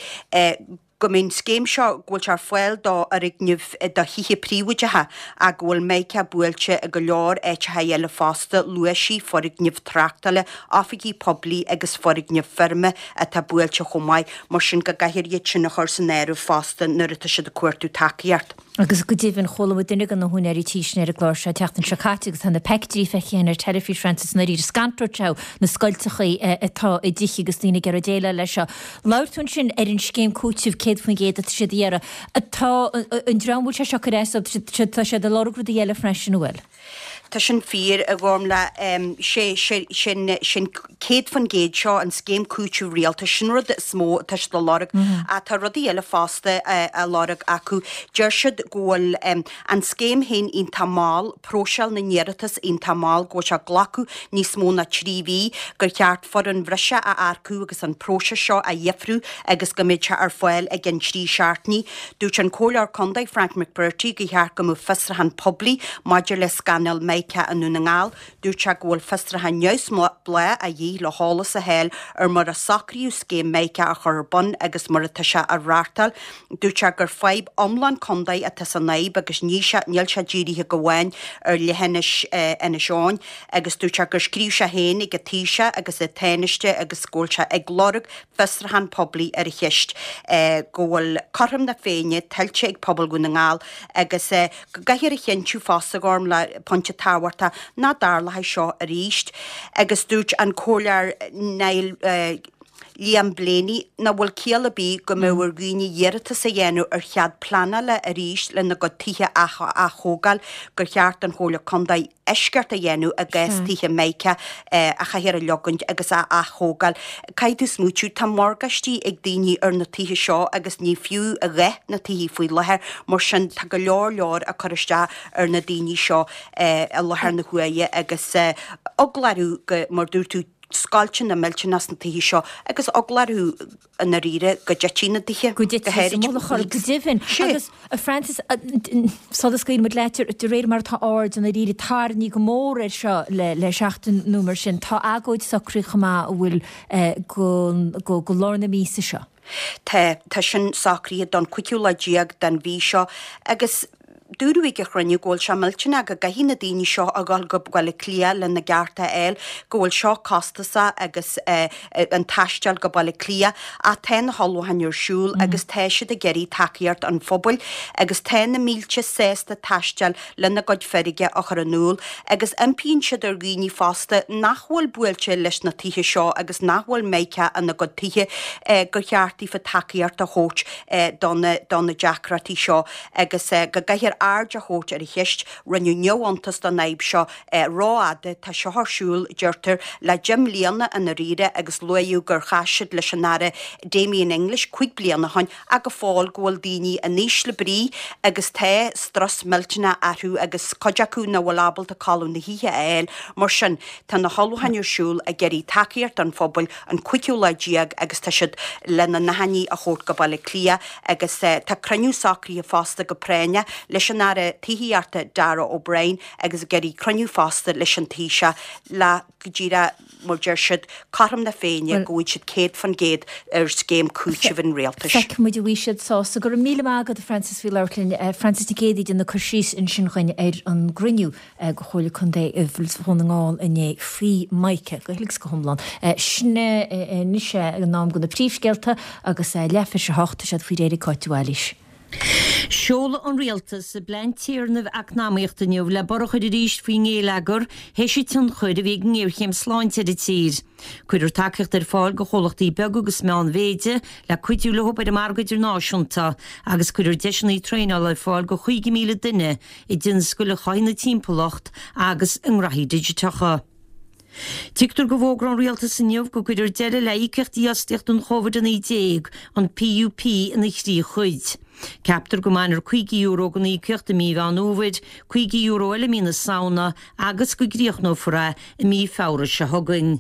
go mbeidh an scéim seo, go bhfuil sé ar fáil do fhoirgnimh, do thithe príobháideacha ach go bhfuil Mica buailte i go leor áiteacha eile fosta, luaigh sí foirgnimh tráchtála, oifigí poiblí agus foirgnimh feirme atá buailte chomh maith, mar sin go gcaithfear iad sin a chur san áireamh fosta nuair atá siad ag cuartú tacaíocht. Agus go deimhin, chuala muid duine de na húinéirí tí sin ar an gclár seo an tseachtain seo caite agus tá na peictiúirí feicthe againn ar teilifís, Frances, i ndáiríre, is contúirt é na scoilteachaí atá i dtithe agus daoine ag iarraidh déileáil leis seo. Labhair tú ansin ar an scéim cúitimh 100% atá siad a iarraidh. Tá an dream a bhfuil sé seo ag cur as dóibh, tá siad ag lorg rudaí eile freisin, an bhfuil? Tá sin fíor, a Ghormlaith. Sé, sé, sin, sin 100% seo, an scéim cúitimh rialtais, sin rud is mó atá siad a lorg. Ach tá rudaí eile fosta á lorg acu. Deir siad go bhfuil an scéim féin iontach mall, próiseáil na n-iarratas iontach mall, go bhfuil sé ag glacadh níos mó ná 3 mhí, gur cheart foireann bhreise a earcú agus an próiseas seo a dheifriú agus go mbeadh sé ar fáil i gcionn 3 seachtainí. Dúirt an Comhairleoir Contae Frank McBrearty gur cheart go mbeadh fiosrúchán poiblí maidir le scannal Mica i nDún na nGall. Dúirt sé go bhfuil fiosrúchán neamhspleách a dhíth le heolas a fháil ar mar a socraíodh scéim Mica a chur ar bun agus mar atá sé á reáchtáil. Dúirt sé gur fadhb iomlán contae atá san fhadhb agus ní níl sé dírithe go amháin ar leithinis Inis Eoghain agus dúirt sé gur scríobh sé féin ag an Taoiseach agus an Tánaiste agus go bhfuil sé ag lorg fiosrúchán poiblí ar an cheist go bhfuil cothrom na Féinne tuillte ag pobal Dhún na nGall agus go gcaithfear a chinntiú fosta, Gormlaith, pointe tábhachtach, nach dtarlóidh seo arís. Agus dúirt an Comhairleoir Niall Liam Blaney nach bhfuil ciall ar bith go mbeadh ar dhaoine iarratas a dhéanamh ar chead pleanála arís lena gcuid tithe a ath-thógáil, gur cheart don Chomhairle Contae eisceacht a dhéanamh i gcás tithe Mica a chaithfear a leogaint agus a ath-thógáil. Caithfidh tú smaoitiú, tá morgáistí ag daoine ar na tithe seo agus ní fiú a dhath na tithe faoi láthair, mar sin tá go leor leor ag cur isteach ar na daoine seo i láthair na huaire agus eagla orthu go, mar dúirt tú, scoilteanna millteanach sna tithe seo agus eagla orthu i ndáiríre go dtitfidh na tithe, go háirid. Go deimhin. Agus, a Frances, sula scaoilfidh muid leat, de réir mar atá aird i ndáiríre tarraingthe go mór air seo le seachtain nó mar sin, tá agóid socraithe chomh maith an bhfuil go go lár na míosa seo. Tá, tá sin socraithe don chúigiú lá déag den mhí seo agus dúradh ag an chruinniú go bhfuil sé millteanach go gcaithfidh na daoine seo a dhul go Baile Átha Cliath lena gcearta a fháil, go bhfuil seo costasach agus an taisteal go Baile Átha Cliath ach tá na hullmhúcháin ar siúl agus tá siad ag iarraidh tacaíocht an phobail agus tá na mílte sásta taisteal lena gcuid feirge a chur in iúl agus impíonn siad ar dhaoine fosta nach bhfuil buailte leis na tithe seo agus nach bhfuil Mica ina gcuid tithe gur cheart daofa tacaíocht a thabhairt do na deacrachtaí seo agus go gcaithfear. aird a thabhairt ar an cheist. Rinneadh neamhiontas den fhadhb seo rófhada. Tá seo ar siúl, deirtear, le 10 mbliana i ndáiríre agus luaíodh gur chas siad leis an Aire Damien English 5 bliana ó shin ach go fóill go bhfuil daoine in ísle brí agus tá strus millteanach orthu agus cuid acu nach bhfuil ábalta codladh na hoíche a fháil. Mar sin, tá na hullmhúcháin ar siúl ag iarraidh tacaíocht don phobal an cúigiú lá déag agus tá siad lena n-achainí a thabhairt go Baile Átha Cliath agus tá cruinniú socraithe fosta go práinneach leis an Aire Tithíochta Darragh O'Brien agus ag iarraidh cruinniú fosta leis an Taoiseach le go díreach mar deir siad, cothrom na Féinne go bhfaighidh siad 100% ar scéim cúitimh an rialtais. Feicfidh muid an bhfaighidh siad sásamh. Go raibh míle maith agat a Frances faoi labhairt linn. Frances Nic Géadaigh ag déanamh cur síos ansin dhuinn ar an gcruinniú de Chomhairle Contae Dhún na nGall inné faoi Mica go huile is go hiomlán. Sin é anois é an am do na príomhscéalta agus leath théis a hocht tá siad faoi réir ag Cáit de Bhailís. Seolfaidh an Rialtas a bplean téarnaimh eacnamaíochta inniu le borradh a chur arís faoin ngeilleagar théis an tionchair a bhí ag an ngéarchéim sláinte ar an tír. Cuirfear tacaíocht ar fáil do chomhlachtaí beaga agus meánmhéide le cuidiú leo ar an margadh idirnáisiúnta agus cuirfear deiseanna traenála ar fáil do 50,000 duine i dtionscail a chothaíonn an timpeallacht agus i ngraithí digiteacha. Tuigtear go bhfógróidh an Rialtas inniu go gcuirfear deireadh le híocaíocht dífhostaíochta don Covid-19, an PUP, ina thrí chuid. Ceaptar go mbainfear €50 den íocaíocht i mí Mheán Fhómhair, €50 eile i mí na Samhna agus go gcríochnófar é i mí Feabhra seo chugainn.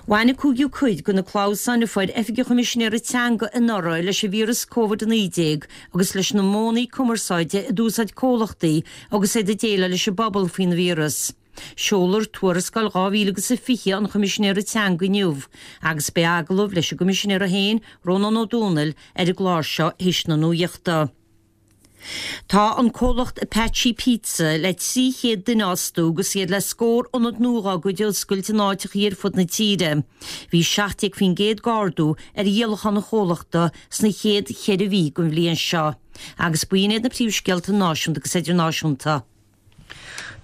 Bhain an cúigiú cuid de na clamhsáin a fuair Oifig an Choimisinéara Teanga anuraidh leis an víreas Covid-19 agus leis na modhanna cumarsáide a d'úsáid comhlachtaí agus iad ag déileáil leis an bpobal faoin víreas. Seolfar Tuarascáil 2020 an Choimisinéara Teanga inniu agus beidh agallamh leis an gCoimisinéara féin, Rónán Ó Domhnaill, ar an gclár seo théis na nuachta. Tá an comhlacht Apache Pizza le 300 duine a fhostú agus iad le scór ionad nua dá gcuid a oscailt in áiteachaí ar fud na tíre. Bhí 17% d'ardú ar dhíolachán an chomhlachta sna chéad cheithre mhí den bhliain seo. Agus b'in iad na príomhscéalta náisiúnta agus idirnáisiúnta.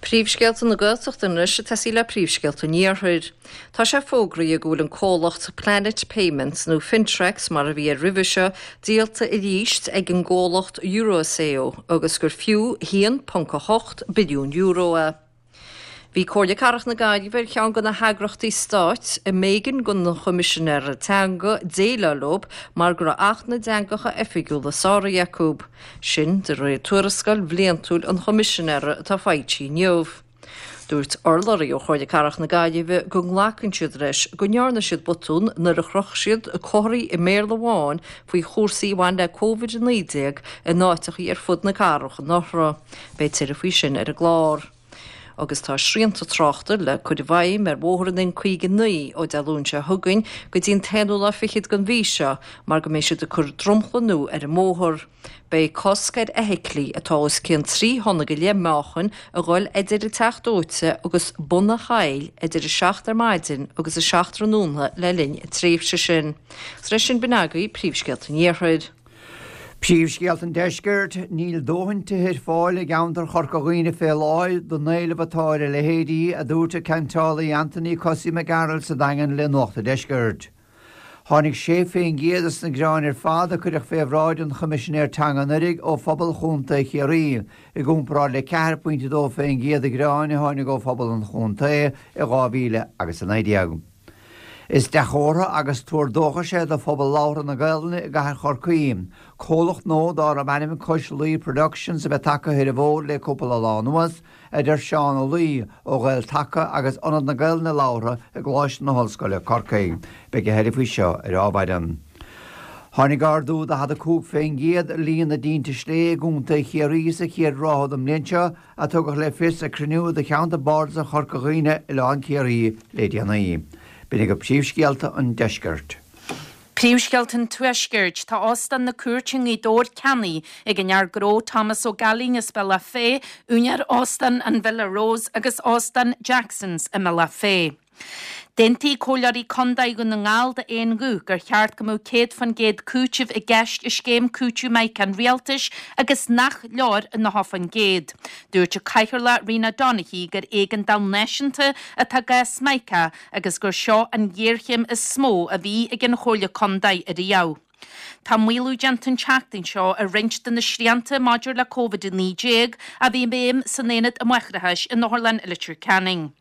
Príomhscéalta na Gaeltachta anois ag tosaí le príomhscéalta an Iarthair. Tá sé fógraithe go bhfuil an comhlacht Planet Payments, nó Fintrex mar a bhí air roimhe seo, díolta arís ag an gcomhlacht Eurazeo agus gur fiú €1.8 billiún é. Bhí Comhairle Cathrach na Gaillimhe ar cheann de na heagrachtaí stáit a mb'éigean don Choimisinéara Teanga déileáil leo mar go raibh Acht na dTeangacha Oifigiúla sáraithe acu. Sin de réir tuarascáil bhliantúil an Choimisinéara atá foilsithe inniu. Dúirt urlabhraí ó Chomhairle Cathrach na Gaillimhe go nglacann siad leis go ndearna siad botún nuair a chroch siad comharthaí i mBéarla amháin faoi chúrsaí a bhain le Covid-19 in áiteachaí ar fud na cathrach anuraidh. Beidh tuilleadh faoi sin ar an gclár. Agus tá srianta tráchta le cur i bhfeidhm ar bhóthar an N59 ó Dé Luain seo chugainn go dtí an t-aonú lá fichead den mhí seo mar go mbeidh siad ag cur dromchla nua ar an mbóthar. Beidh cosc ar fheithiclí atá os cionn 3 thonna go leith meáchain a dhul idir an Teach Dóite agus Bun an Choill idir 7 ar maidin agus 7 tráthnóna le linn an tréimhse sin. Agus leis sin b'in agaibh príomhscéalta an Iarthair. Príomhscéalta an Deiscirt, Níl dóthain tithe ar fáil i gceantar Chorca Dhuibhne fé láthair don éileamh atá ar a leithéidí, a dúirt an ceantálaí Anthony Cosaí Mac Gearailt sa Daingean le Nuacht an Deiscirt. Tháinig 6% des na gearáin ar fad a cuireadh fé bhráid an Choimisinéir Teanga anuraidh ó phobal Chontae Chiarraí, i gcomparáid le 4.2% de ghearáin a tháinig ó phobal an chontae i 2019. Is dea-chomhartha agus tuar dóchais é do phobal labhartha na Gaelainne i gcathair Chorcaí, comhlacht nua darb ainm Cois Laoi Productions a bheith tagtha ar an bhfód le cúpla lá anuas, a deir Seán Ó Laoi ó Ghael-Taca agus Ionad na Gaelainne Labhartha i gColáiste na hOllscoile, Corcaigh. Beidh a thuilleadh faoi seo ar ámhaidin. Tháinig ardú 45% ar líon na dtinte sléibhe i gContae Chiarraí sa chéad ráithe den mbliain seo, a tugadh le fios ag cruinniú de Cheantar Bardasach Chorca Dhuibhne, Oileán Ciarraí, le déanaí. B'in agaibh príomhscéalta an deiscirt. Príomhscéalta an Tuaiscirt. Tá Óstán na Cúirte i nGaoth Dobhair ceannaithe ag an fhear gnó Thomas Ó Gailín as Bealach Féich, úinéir Óstán an Villa Rose agus Óstán Jackson's i mBealach Féich. D'aontaigh Comhairleoirí Contae Dhún na nGall d'aon ghuth gur cheart go mbeadh 100% cúitimh i gceist i scéim cúitimh Mica an Rialtais agus nach leor an 90%. Dúirt an Cathaoirleach Rena Donaghey gur éigeandáil náisiúnta atá i gcás Mica agus gur seo an ghéarchéim is mó a bhí ag an Chomhairle Contae ariamh. Tá maolú déanta an tseachtain seo ar roinnt de na srianta maidir le Covid-19 a bhí i bhfeidhm san Aonad um Máithreachais in Otharlann Leitir Ceanainn.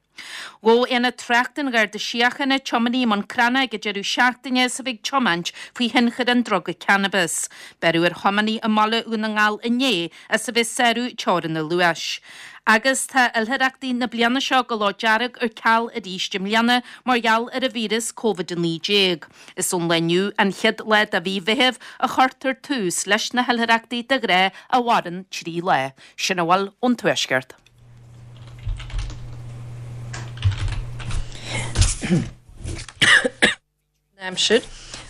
Ghabh Aonad Tráchta an Gharda Síochána tiománaí i mBun Cranncha ag an deireadh seachtaine is a bhí ag tiomáint faoi thionchar an druga cannabis. Beireadh ar thiománaí i mbaile Dhún na nGall inné as a bheith ag sárú teorann an luais. Agus tá oilithreachtaí na bliana seo go Loch Dearg ar ceal arís i mbliana mar gheall ar an víreas Covid-19. Is ón lá inniu, an chéad lá de mhí Mheithimh, a chuirtear tús leis na hoilithreachtaí de ghnáth a mhaireann 3 lá. Sin a bhfuil ón Tuaisceart. Aimsir.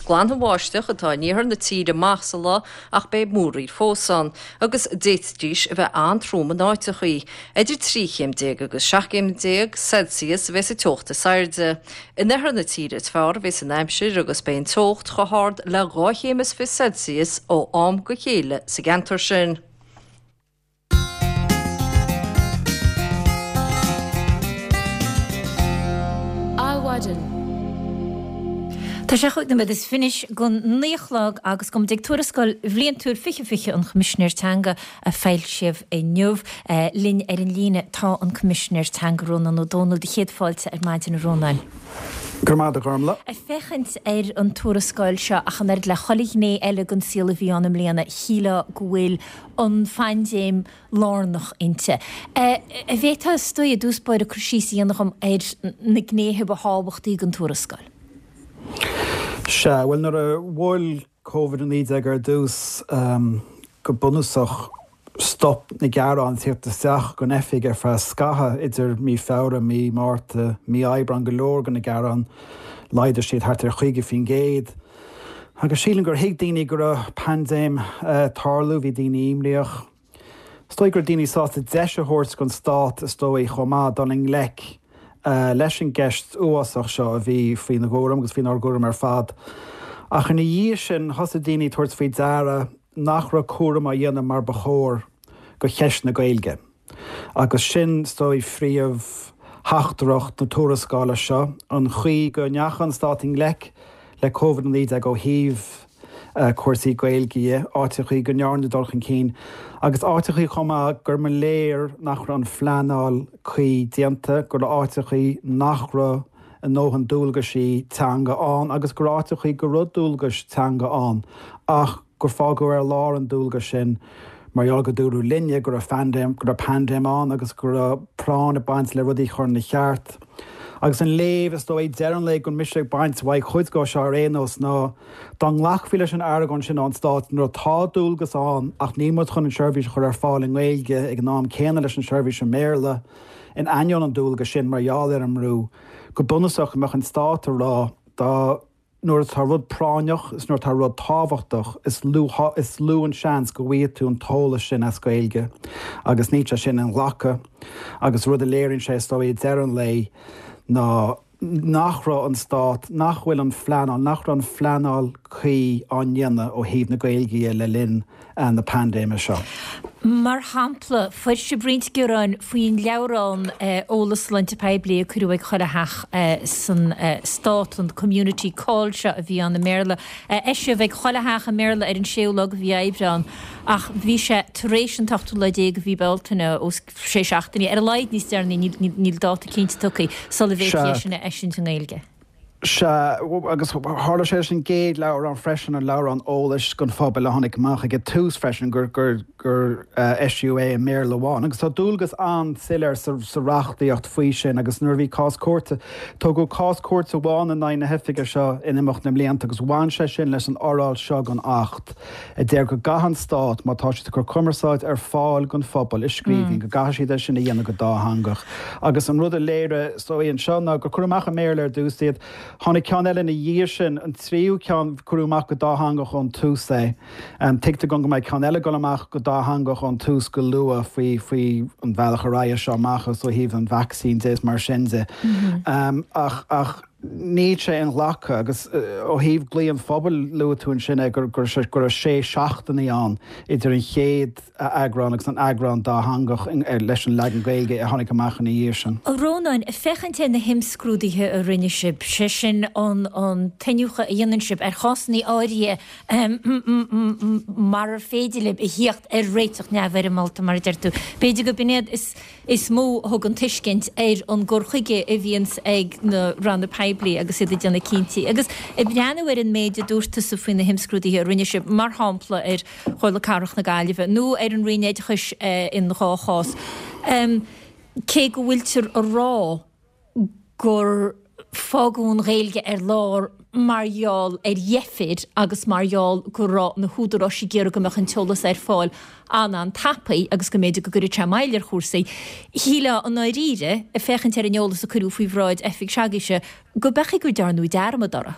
Glanbháisteach atá in iarthar na tíre amach sa lá ach beidh múraíl fós ann agus d'fhéadfaidís a bheith an-trom in áiteachaí. Idir 13 chéim agus 17 chéim Celsius a bheas an teocht is airde. In oirthear na tíre is fearr a bheas an aimsir agus beidh an teocht chomh hard le 12 chéim is 20 Celsius ó am go chéile sa gceantar sin. Adhmhaidin. Tá sé chúig nóiméad is fiche go naoi a chlog agus go mbeidh ag Tuarascáil Bhliantúil 2020 an Choimisinéir Teanga a foilsíodh inniu. Linn ar an líne tá an Coimisinéir Teanga Rónán Ó Domhnaill. Do chéad fáilte ar maidin a Rónáin. Go raibh maith agat a Ghormlaith. Ag féachaint ar an tuarascáil seo ach an oiread le chuile ghné eile den saol a bhí ann i mbliana, shílfeá go bhfuil an phaindéim lárnach inti. An bhféadfá is dóigh i dtús báire cur síos a dhéanamh dhom ar na gnéithe ba thábhachtaí den tuarascáil? Sea, bhuel nuair a bhuail Covid-19 ar dtús, go bunúsach stop na gearáin tíocht isteach gon oifig ar feadh scaitheamh idir mí Feabhra, mí Márta, mí Aibreán, go leor de na gearáin, laghdaigh siad thart ar 50%. Agus sílim gur thuig daoine go raibh paindéim ag tarlú, bhí daoine imníoch. Is dóigh go raibh daoine sásta deis a thabhairt don stát, is dóigh, chomh maith, dul i ngleic leis an gceist uafásach seo a bhí faoina gcúram agus faoinár gcúram ar fad. Ach ina dhiaidh sin, thosaigh daoine ag tabhairt faoi deara nach raibh cúram á dhéanamh mar ba chóir go cheist na Gaeilge. Agus sin, is dóigh, phríomh-theachtaireacht na tuarascála seo, an chaoi go ndeachaigh an Stát i ngleic le Covid-19 ó thaobh cúrsaí Gaeilge dhe, áiteachaí go ndearnadh dul chun cinn, agus áiteachaí chomh maith gur mba léir nach raibh an phleanáil cuí déanta, go raibh áiteachaí nach raibh a ndóthain dualgaisí teanga ann agus go raibh áiteachaí go raibh dualgais teanga ann ach gur fágadh ar lár an dualgas sin mar gheall go dúradh linne go raibh phaindéim, go raibh paindéim ann agus go raibh práinn ag baint le rudaí a chur ina cheart. Agus an léamh, is dóigh, deireadh an lae go bhfuil mise ag baint uaidh cuid dhó seo ar aon nós ná dá nglacfaí leis an argóint sin ón Stát nuair atá dualgas ann ach níl muid chun an seirbhís a chur ar fáil i nGaeilge ag an am céanna leis an seirbhís i mBéarla in ainneoin an dualgas sin mar gheall ar an mbrú, go bunúsach go mbeadh an Stát ag rá dá Nuair atá rud práinneach is nuair atá rud tábhachtach, is lú is lú an seans go bhfaighidh tú an t-eolas sin as Gaeilge agus níl sé sin inghlactha. Agus rud a léiríonn sé is dóigh ag deireadh an lae ná nach raibh an stát, nach bhfuil an phleanáil, nach raibh an phleanáil cuí á ndéanamh ó thaobh na Gaeilge dhe le linn na paindéime seo. Mar shampla, fuair sibh roinnt gearáin faoin leabhrán eolas sláinte poiblí a cuireadh ag chuile theach san stát, an Community Call seo a bhí ann i mBéarla. Eisíodh ag chuile theach i mBéarla ar an séú lá de mhí Aibreán ach bhí sé tar éis an t-ochtú lá déag de mhí Bealtaine, os sé seachtainí ar a laghad níos deireanaí, níl dáta cinnte tugtha, sula bhféadfaí é sin a eisiúint i nGaeilge. Sea, agus tharla sé leis an gcéad leabhrán freisin, an leabhrán eolais don phobal a tháinig amach ag an tús freisin, gur, gur, gur eisíodh é i mBéarla amháin. Agus tá dualgas an-soiléir sa, sa reachtaíocht faoi sin agus nuair a bhí cás cúirte, tógadh cás cúirte amháin in aghaidh na hoifige seo in imeacht na mblianta agus bhain sé sin leis an fhoráil seo den Acht a deir go gcaithfidh an Stát, má tá siad ag cur cumarsáid ar fáil don phobal i scríbhinn, go gcaithfidh siad é sin a dhéanamh go dátheangach. Agus an rud a léirigh, is dóigh, anseo ná gur cuireadh amach i mBéarla ar dtús iad. Tháinig ceann eile ina dhiaidh sin, an tríú ceann, cuireadh amach go dátheangach ón tús é. Tuigtear dom go mbeidh ceann eile ag dul amach go dátheangach ón tús go luath faoi, faoi an bhealach ar aghaidh as seo amach agus ó thaobh an vacsaín de is mar sin de. Ach, ach. Níl sé inghlactha agus ó thaobh glao an phobail, luaigh tú ansin é, go raibh sé seachtainí ann idir an chéad eagrán agus an eagrán dátheangach leis an leagan Gaeilge a tháinig amach ina dhiaidh sin. A Rónáin, féachaint ar na himscrúduithe a rinne sibh, sé sin an t-iniúchadh a dhéanann sibh ar chásanna áirithe marar féidir libh a thíocht ar réiteach neamhfhoirmeálta, mar a deir tú. B'fhéidir go b'in iad is. is mó a thugann tuiscint ar an gcur chuige a bhíonns ag na ranna poiblí agus iad ag déanamh cinntí. Agus ag breathnú ar an méid a dúirt tusa faoi na himscrúduithe a rinne sibh, mar shampla ar Chomhairle Cathrach na Gaillimhe nó ar an Roinn Oideachais in dhá chás, cé go bhfuiltear a rá gur fágadh an Ghaeilge ar lár mar gheall ar dheifir agus mar gheall go raibh na húdaráis ag iarraidh go mbeadh an t-eolas ar fáil an-an-tapaidh agus go mb'fhéidir go gcuirfeadh sé moill ar chúrsaí. Shílfeá i ndáiríre, ag féachaint ar an eolas a cuireadh faoi bhráid oifig s'agaibhse, go b'ea go ndearnadh dearmad orthu.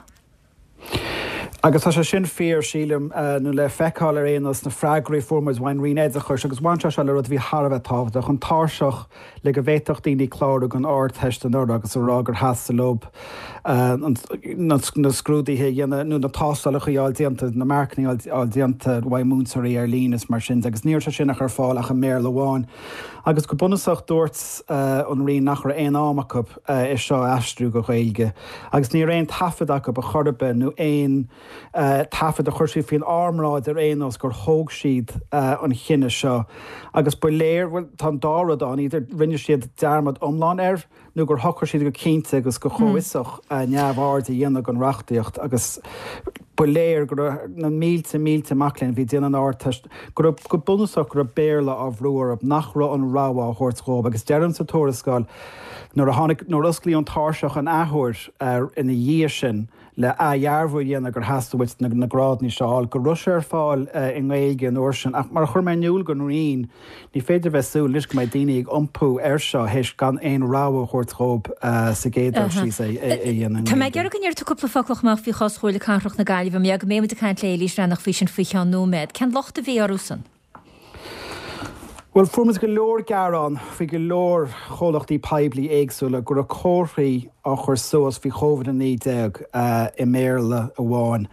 Agus tá sé sin fíor, sílim, nó le feiceáil ar aon nós sna freagraí a fuair muid ón Roinn Oideachais, agus bhain sé seo le rud a bhí thar a bheith tábhachtach, an tairseach le go bhféadfadh daoine clárú don Ardteist anuraidh agus a rá gur theastaigh leo na scrúduithe a dhéanamh nó na tástálacha a fháil déanta, na marcanna a fháil déanta uaidh múinteoirí ar líne is mar sin de, agus ní raibh sé sin ach ar fáil ach i mBéarla amháin. Agus go bunúsach dúirt an Roinn nach raibh aon am acu é seo a aistriú go Gaeilge. Agus ní raibh aon taifead acu ar chor ar bith nó aon taifead a chuir siad faoin ár mbráid ar aon nós gur thóg siad an chinneadh seo. Agus ba léir, bhuel, tá an dá rud ann, either rinne siad dearmad iomlán air nó gur shocraigh siad go cinnte agus go comhfhiosach neamhaird a dhéanamh den reachtaíocht agus ba léir go raibh na mílte, mílte mac léinn a bhí ag déanamh an Ardteist, go raibh, go bunúsach, go raibh Béarla á bhrú orthu, nach raibh an rogha á thabhairt dhóibh. Agus deirim sa tuarascáil, Nuair a tháinig, nuair a osclaíodh an tairseach an athuair ina dhiaidh sin le athdhearbhú a dhéanamh gur theastaigh uait na grádanna seo a fháil, go raibh sé ar fáil i nGaeilge an uair sin. Ach mar a chuir mé in iúl don Roinn, ní féidir a bheith ag súil anois go mbeidh daoine ag iompú air seo théis gan aon rogha a thabhairt dhóibh sa gcéad dul síos é a dhéanamh i Tá mé ag nGaeilge. iarraidh go ndéarfaidh tú cúpla focal chomh maith faoi chás Chomhairle Cathrach na Gaillimhe. Mar go mbeidh muid ag caint le Éilís Bhreathnach faoi sin faoi cheann nóiméad. Cén locht a bhí orthusan? Bhuel, fuair muid go leor gearán faoi go leor chomhlachtaí poiblí éagsúla go raibh comharthaí á chur suas faoi Covid-19 i mBéarla amháin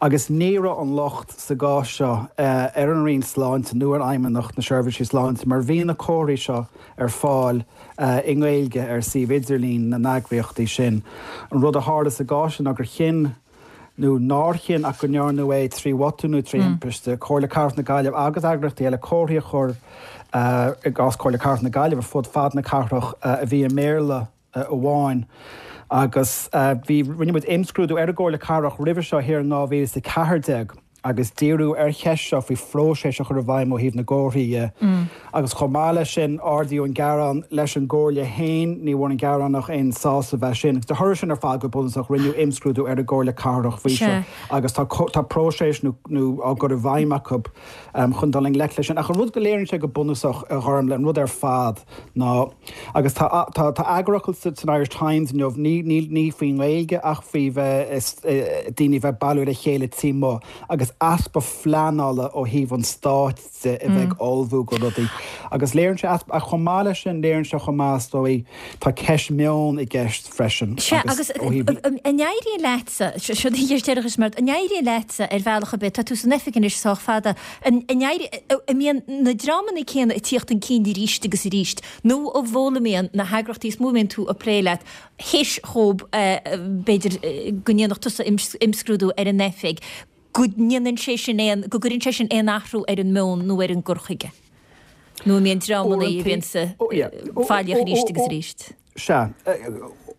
agus ní raibh an locht sa gcás seo ar an Roinn Sláinte nó ar Fheidhmeannacht na Seirbhísí Sláinte mar bhí na comharthaí seo ar fáil i nGaeilge ar suíomh idirlín na n-eagraíochtaí sin. An rud a tharla sa gcás sin ná gur chinn nó nár chinn ach go ndearnadh é trí bhotún nó trí thimpiste, Comhairle Cathrach na Gaillimhe agus eagraíochtaí eile comharthaí a chur, i gcás Comhairle Cathrach na Gaillimhe, fud fad na cathrach a bhí i mBéarla amháin. Agus bhí, rinne muid imscrúdú ar an gComhairle Cathrach roimhe seo thiar in 2014 agus díriú ar cheist seo faoi phróiseas a chur i bhfeidhm ó thaobh na gcomharthaí dhe. Agus chomh maith leis sin, ardaíodh an gearán leis an gComhairle féin, ní bhfuair an gearánach aon sásamh as sin. Agus de thoradh sin ar fad, go bunúsach, rinneadh imscrúdú ar an gComhairle Cathrach faoi seo agus tá tá próiseas nó nó á gcur i bhfeidhm acu chun dul i ngleic leis sin. Ach an rud go léiríonn sé go bunúsach, a Ghormlaith, an rud ar fad ná, agus tá tá tá eagarfhocal san Irish Times inniu, ní ní ní faoin nGaeilge ach faoi bheith daoine bheith bailiú le chéile taobh amuigh agus easpa phleanála ó thaobh an stáit de a bheith ag ullmhú go rudaí. Agus léiríonn sé easpa, ach chomh maith leis sin, léiríonn sé chomh maith, is dóigh, tá ceist meoin i gceist freisin. Sea, agus an éiríonn leatsa, seo do cheist deireanach mar, an éiríonn leatsa ar bhealach ar bith, tá tú san oifig anois sách fada, an éirí, an mbíonn na dreamanna céanna ag tíocht chun cinn arís agus arís, nó an bhfoghlaimíonn na heagraíochtaí is mó a mbíonn tú ag plé leat, théis dhóibh, b'fhéidir, go ndéanfadh tusa imscrúdú ar an oifig, go ndéanann sé sin aon, go gcuireann sé sin aon athrú ar an meon nó ar an gcur chuige? Nó an mbíonn dreamanna a bhíonn faillíoch arís agus arís? Sea.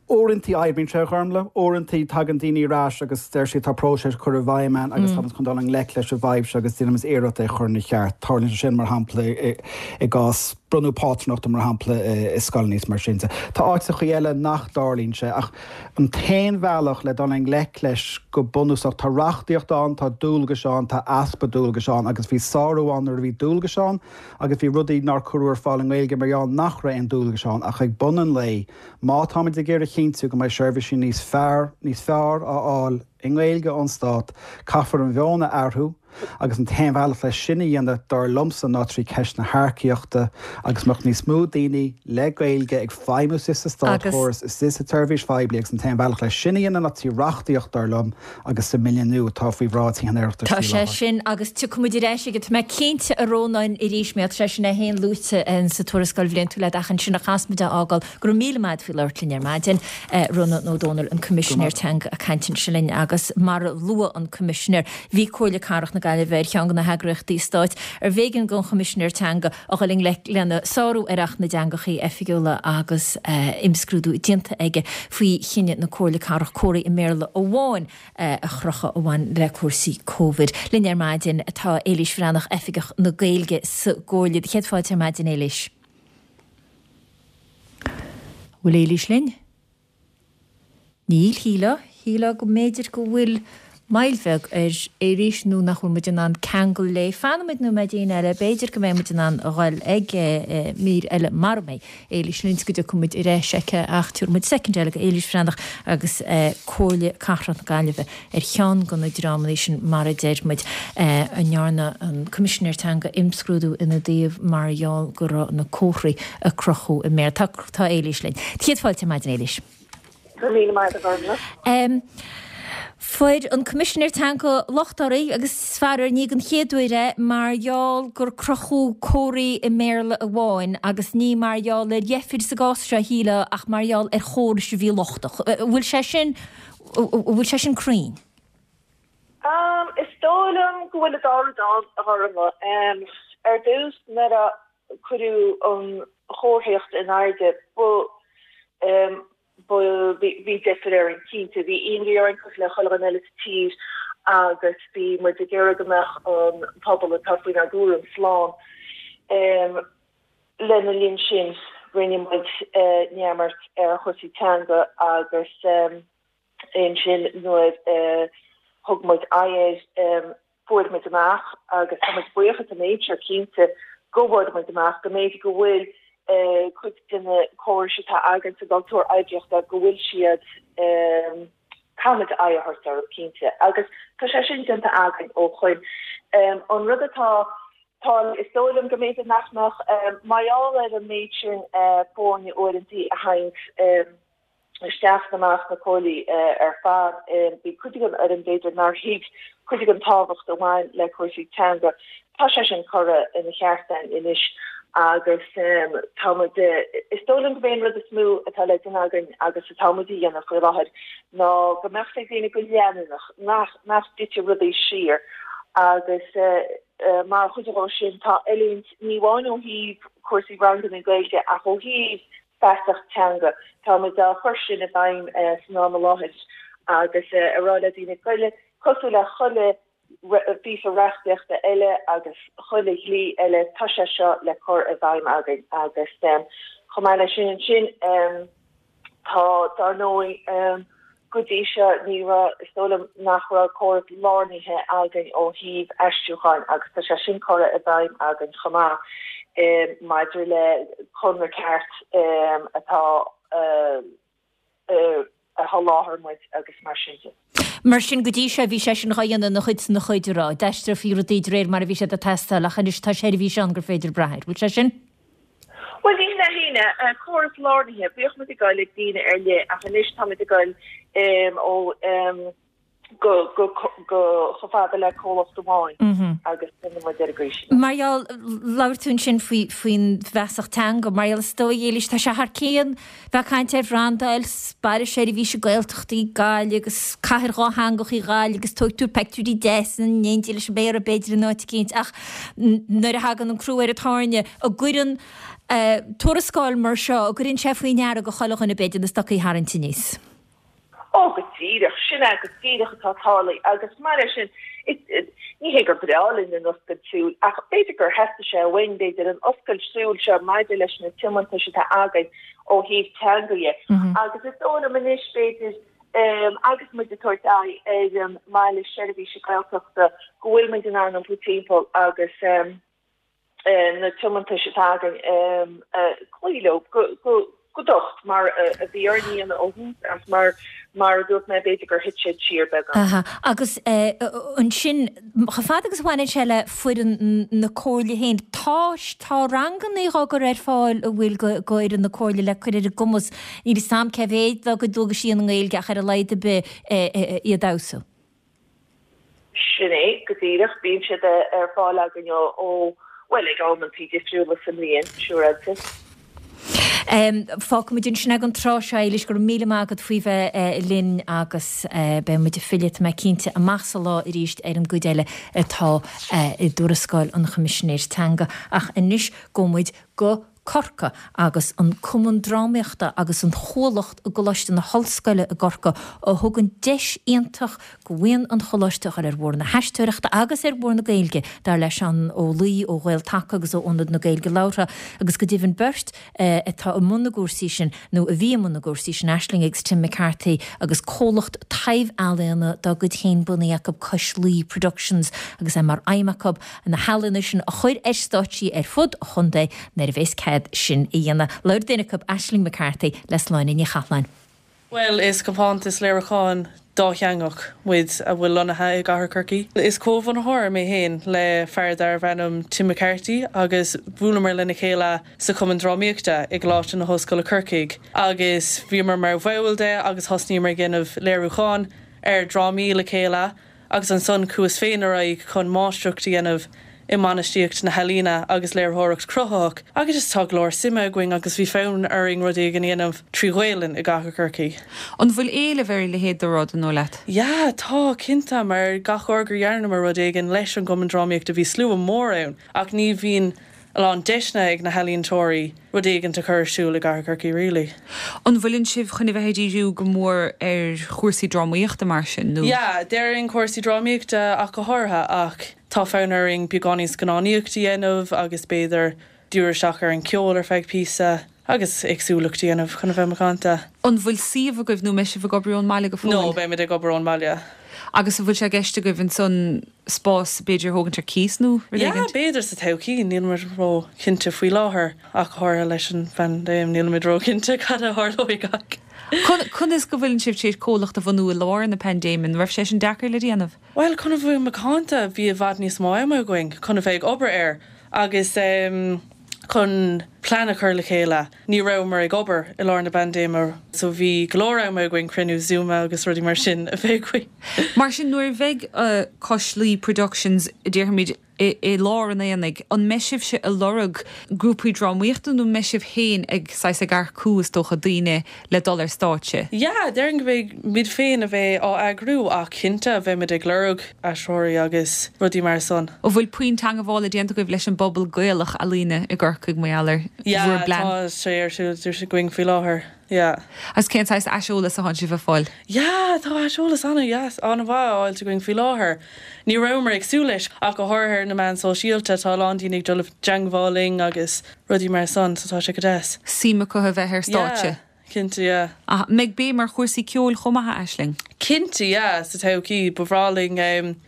Uaireantaí oibríonn sé, a Ghormlaith. Uaireantaí tagann daoine ar ais agus deir siad tá próiseas curtha i bhfeidhm againn agus táimid chun dul i ngleic leis an bhfadhb seo agus déanfaimid iarracht é a chur ina cheart. Tarlaíonn sé sin, mar shampla, i gcás bronnadh pátrúnachta, mar shampla, i scoileanna is mar sin de. Tá áiteachaí eile nach dtarlaíonn sé ach An t-aon bhealach le dul i ngleic leis go bunúsach, tá reachtaíocht ann, tá dualgais ann, tá easpa dualgais ann agus bhí sárú ann nuair a bhí dualgais ann agus bhí rudaí nár cuireadh ar fáil i nGaeilge mar gheall nach raibh aon dualgais ann ach ag bun an lae, má táimid ag iarraidh a chinntiú go mbeidh seirbhísí níos fearr, níos fearr á fháil. i nGaeilge ón Stát, caithfear an mheon a athrú agus an t-aon bhealach leis sin a dhéanamh, dar liomsa, ná trí ceist na hearcaíochta agus mbeadh níos mó daoine le Gaeilge ag feidhmiú istigh sa státchóras, istigh sa tseirbhís phoiblí agus an t-aon bhealach leis sin a dhéanamh ná trí reachtaíocht, dar liom, agus sa mBille nua atá faoi bhráid Thithe an Oireachtais Tá faoi sé láthair. sin agus tiocfaidh muid ar ais aige, tá mé cinnte, a Rónáin, arís, mar tá sé sin é féin luaite sa tuarascáil bhliantúil leat ach ansin a chas muid á fhágáil. Go raibh míle maith agat faoi labhairt linn ar maidin. Rónán Ó Domhnaill, an Coimisinéir Teanga ag caint ansin linn agus mar a luaigh an Coimisinéir, bhí Comhairle Cathrach na Gaillimhe ar cheann de na heagraíochtaí stáit arbh éigean don Choimisinéir Teanga a dhul i ngleic lena sárú ar Acht na dTeangachaí Oifigiúla agus imscrúdú déanta aige faoi chinneadh na Comhairle Cathrach comharthaí i mBéarla amháin a chrochadh a bhain le cúrsaí Covid. Linn ar maidin tá Éilís Bhreathnach, Oifigeach na Gaeilge sa gComhairle. Céad fáilte ar maidin, Éilís. Bhfuil Éilís linn? Níl, shílfeá. Shílfeá go mb'fhéidir go bhfuil moill bheag ar Éilís nó nach bhfuil muid in ann ceangal léi. Fanfaidh muid nóiméidín eile, b'fhéidir go mbeidh muid in ann a dhul ag mír eile mara mbeidh Éilís linn is go dtiocfaidh muid ar ais aici ach tabharfaidh muid soicind eile go Éilís Bhreathnach agus Comhairle Cathrach na Gaillimhe ar cheann de na dreamanna sin, mar a deir muid, a ndearna an Coimisinéir Teanga imscrúdú ina dtaobh mar gheall go raibh na comharthaí a crochadh i mBéarla. Tá, tá Éilís linn. Céad fáilte ar maidin, Éilís. Go raibh míle maith agat, a Ghormfhlaith. Fuair an Coimisinéir Teanga locht oraibh agus faraor ní den chéad uair é, mar gheall gur crochadh comharthaí i mBéarla amháin agus ní mar gheall ar dheifir sa gcás seo, shílfeá, ach mar gheall ar chórais a bhí lochtach. An bhfuil sé sin An bhfuil sé sin cruinn? Is dóigh liom go bhfuil an dá rud ann, a Ghormfhlaith. Ar dtús, nuair a cuireadh an chomharthaíocht in airde, ba, ba, bhí deifir orainn, cinnte. Bhí imní orainn, cosúil le chuile dhuine eile sa tír, agus bhí muid ag iarraidh go mbeadh an pobal atá faoinár gcúram slán. Lena linn sin, rinne muid neamart ar chúrsaí teanga agus ansin nuair a thug muid aghaidh air, fuair muid amach, agus tá muid buíoch as an méid seo cinnte, go bhfuair muid amach go mb'fhéidir go bhfuil cuid de na córais atá againn sa gcultúr oibríochta, go bhfuil siad, caithfimid aghaidh a thabhairt orthu cinnte. Agus tá sé sin déanta againn ó shoin. An rud atá Tá, is dóigh liom go mb'fhéidir nach mbeadh, mar gheall ar an méid sin foirne uaireantaí a thaganns isteach is amach na comhairlí ar fad, bhí cuid den fhoireann b'fhéidir nár thuig cuid den tábhacht a bhain le cúrsaí teanga. Tá sé sin curtha ina cheart againn anois agus tá muid, is dóigh liom gurb é an rud is mó atá le déanamh againn agus atá muid a dhéanamh faoi láthair ná go mbeadh a fhios ag daoine go leanúnach nach, nach dtitfidh rudaí siar agus Mar chuid dhó sin tá oiliúint, ní amháin ó thaobh cúrsaí ranganna Gaeilge ach ó thaobh feasacht teanga. Tá muid á chur sin i bhfeidhm san am i láthair agus ag rá le daoine go, cosúil le chuile phíosa reachtaíochta eile agus chuile dhlí eile, tá sé seo le cur i bhfeidhm againn agus chomh maith leis sin ansin, Tá, dar ndóigh, go dtí seo ní raibh, is dóigh liom nach raibh córas lárnaithe againn ó thaobh aistriúcháin agus tá sé sin curtha i bhfeidhm againn chomh maith maidir le conradh ceart atá a sholáthar muid agus mar sin de. Mar sin, go dtí seo bhí sé sin dhá dhéanamh ina chuid 's ina chuid, an raibh? D'aistreofaí rudaí de réir mar a bhí siad ag teastáil ach anois tá seirbhís ann gur féidir brath air. Bhfuil sé sin? Bhuel, ní hin é, córas lárnaithe, bhíodh muid ag dul ag daoine ar leith ach anois táimid ag dul ó go go go chomh fada le comhlacht amháin agus déanann muid ar an gcaoi sin. Mar gheall, labhair tú ansin faoi faoin bhfeasacht teanga, mar gheall is dóigh, Éilís, tá sé thar cionn Bheith ag caint ar bhrandáil baile seirbhíse Gaeltachta í Gaillimh agus cathair dhátheangach í Gaillimh agus tógfaidh tú peictiúirí deasa in éindí leis an méara b'fhéidir in áit eicínt ach nuair a thagann an crú ar an tairne an gcuireann tuarascáil mar seo, an gcuireann sé faoi ndeara go chuile dhuine b'fhéidir na stocaí a tharraingt aníos. Ó, go díreach, sin é go díreach atá tarlaithe agus mar é sin, ní hé gur breá linn an oscailt súl ach b'fhéidir gur theastaigh sé uainn, b'fhéidir, an oscailt súl seo maidir leis na tiomantais atá againn ó thaobh teanga dhe. Agus is dóigh liom anois, b'fhéidir, agus muid ag tabhairt aghaidh ar an mbaile seirbhíse Gaeltachta, go bhfuil muid in ann iompú timpeall agus na tiomantais atá againn cloí leo, go. go docht mar a bhí orainn a dhéanamh ó thús ach mar mar a dúirt mé b'fhéidir gur thit siad siar beagán. Aha. Agus ansin, chomh fada agus a bhaineann sé le foireann na Comhairle féin, tá tá ranganna á gcur ar fáil an bhfuil go fhoireann na Comhairle le cur ar a gcumas, níl 'fhios a'm cé mhéad dá gcuid dualgaisí i nGaeilge ach ar a laghad ar bith iad a fheabhsú. Sin é go díreach. Bíonn siad ar fáil againn ó, bhuel, ag amantaí difriúla sa mbliain, siúráilte. Fágfaimid ansin é don tráth seo, Éilis. Go raibh míle maith agat faoi bheith linn agus beidh muid ag filleadh, tá mé cinnte, amach sa lá arís ar an gcuid eile atá i dtuarascáil an Choimisinéir Teanga. Ach anois gabhfaidh muid go Corcaigh agus an Cumann Drámaíochta agus an Chuallacht i gColáiste na hOllscoile i gCorcaigh a thugann deis iontach go bhuíon an Choláiste a dhul ar bhóthar na haisteoireachta agus ar bhóthar na Gaeilge, dar le Seán Ó Laoi ó Ghael-Taca agus ó Ionad na Gaeilge Labhartha agus go deimhin beirt atá i mbun na gcúrsaí sin nó a bhí i mbun na gcúrsaí sin, Aisling agus Tim McCarthy agus comhlacht taibh-ealaíona dá gcuid féin bunaithe acu, Cois Laoi Productions agus é mar aidhm acu na healaíona sin a chur ar stáitsí ar fud an chontae nuair a bheas cead sin a dhéanamh. Labhair duine acu, Aisling McCarthy, le Sláine Ní Chathalláin. Bhuel, is compántas léiriúcháin dátheangach muid a bhfuil lonnaithe i gCathair Chorcaí. Is comhbhunaitheoir mé féin le fear darbh ainm Tim McCarthy agus bhuaileamar lena chéile sa Chumann Drámaíochta i gColáiste na hOllscoile Corcaigh agus bhíomar mar bhaill de agus thosnaíomar ag déanamh léiriúcháin ar dhrámaí le chéile agus ansan chuas féin ar aghaidh chun máistreacht a dhéanamh i mbainistíocht na healaíona agus léiritheoireacht chruthaitheach agus just tá go leor suime againn agus bhí fonn orainn rud éigin a dhéanamh trí Ghaelainn i gCathair Chorcaí. An bhfuil éileamh ar a leithéid de rud, an dóigh leat? Yeah, tá, cinnte, mar gach uair gur dhearnamar rud éigin leis an gCumann Drámaíochta bhí slua mór ann ach ní bhíonn a lán deiseanna ag na healaíontóirí rud éigint a chur ar siúl i gCathair Chorcaí really. An bhfuileann sibh chun a bheith ag díriú go mór ar chúrsaí drámaíochta mar sin, nó? Yeah, déarfainn cúrsaí drámaíochta ach go háirithe, ach tá fonn orainn beagáinín scannánaíocht a dhéanamh agus b'fhéidir díriú isteach ar an cheol ar feadh píosa agus éagsúlacht a dhéanamh chun a bheith macánta. An bhfuil suíomh agaibh nó an mbeidh sibh ag obair ón mbaile go fóill? No, beimid ag obair ón mbaile. Agus an bhfuil sé i gceist agaibh ansan spás b'fhéidir a thógaint ar cíos nó rud Yeah, éigint? b'fhéidir sa todhchaí, nílimid ró-chinnte faoi láthair, ach go háirithe leis an phaindéim, nílimid ró-chinnte cad a tharlóidh ach. Conas go bhfuileann sibh tar éis comhlacht a bhunú i lár na paindéime? An raibh sé sin deacair le déanamh? Bhuel, chun a bheith macánta, bhí i bhfad níos mó ama againn chun a bheith ag obair air agus chun plean a chur le chéile. Ní rabhamar ag obair i lár na paindéime so bhí go leor ama againn cruinniú Zoom agus rudaí mar sin a bheith againn. Mar sin, nuair a bheidh Cois Laoi Productions, déarfaimid, i lár an aonaigh, an mbeidh sibhse ag lorg grúpaí drámaíochta nó an mbeidh sibh féin ag, saghas, ag earcú, is dócha, daoine le dul ar stáitse? Yeah, déarfainn go mbeidh muid féin a bheidh á eagrú ach cinnte beimid ag lorg aisteoirí agus rudaí mar san. An bhfuil puinn teangabhála déanta agaibh leis an bpobal Gaelach ealaíne i gCorcaigh mar gheall ar Yeah, bhur bplean? tá sé ar siúl againn faoi láthair, yeah. Agus cén saghas aiseolas atánn sibh a fáil? Yeah, tá aiseolas an-dheas, an-mhaith á fháilt againn faoi láthair. Ní rabhamar ag súil leis, ach go háirithe ar na meáin sóisialta, tá a lán daoine ag dul i dteangmháil linn agus rudaí mar san, so tá sé go deas. Suim acu a bheith ar stáitse. Yeah, cinnte, yeah. An mbeidh béim ar chúrsaí ceoil chomh maith, a Aisling? Cinnte, yeah, sa todhchaí, ba bhreá linn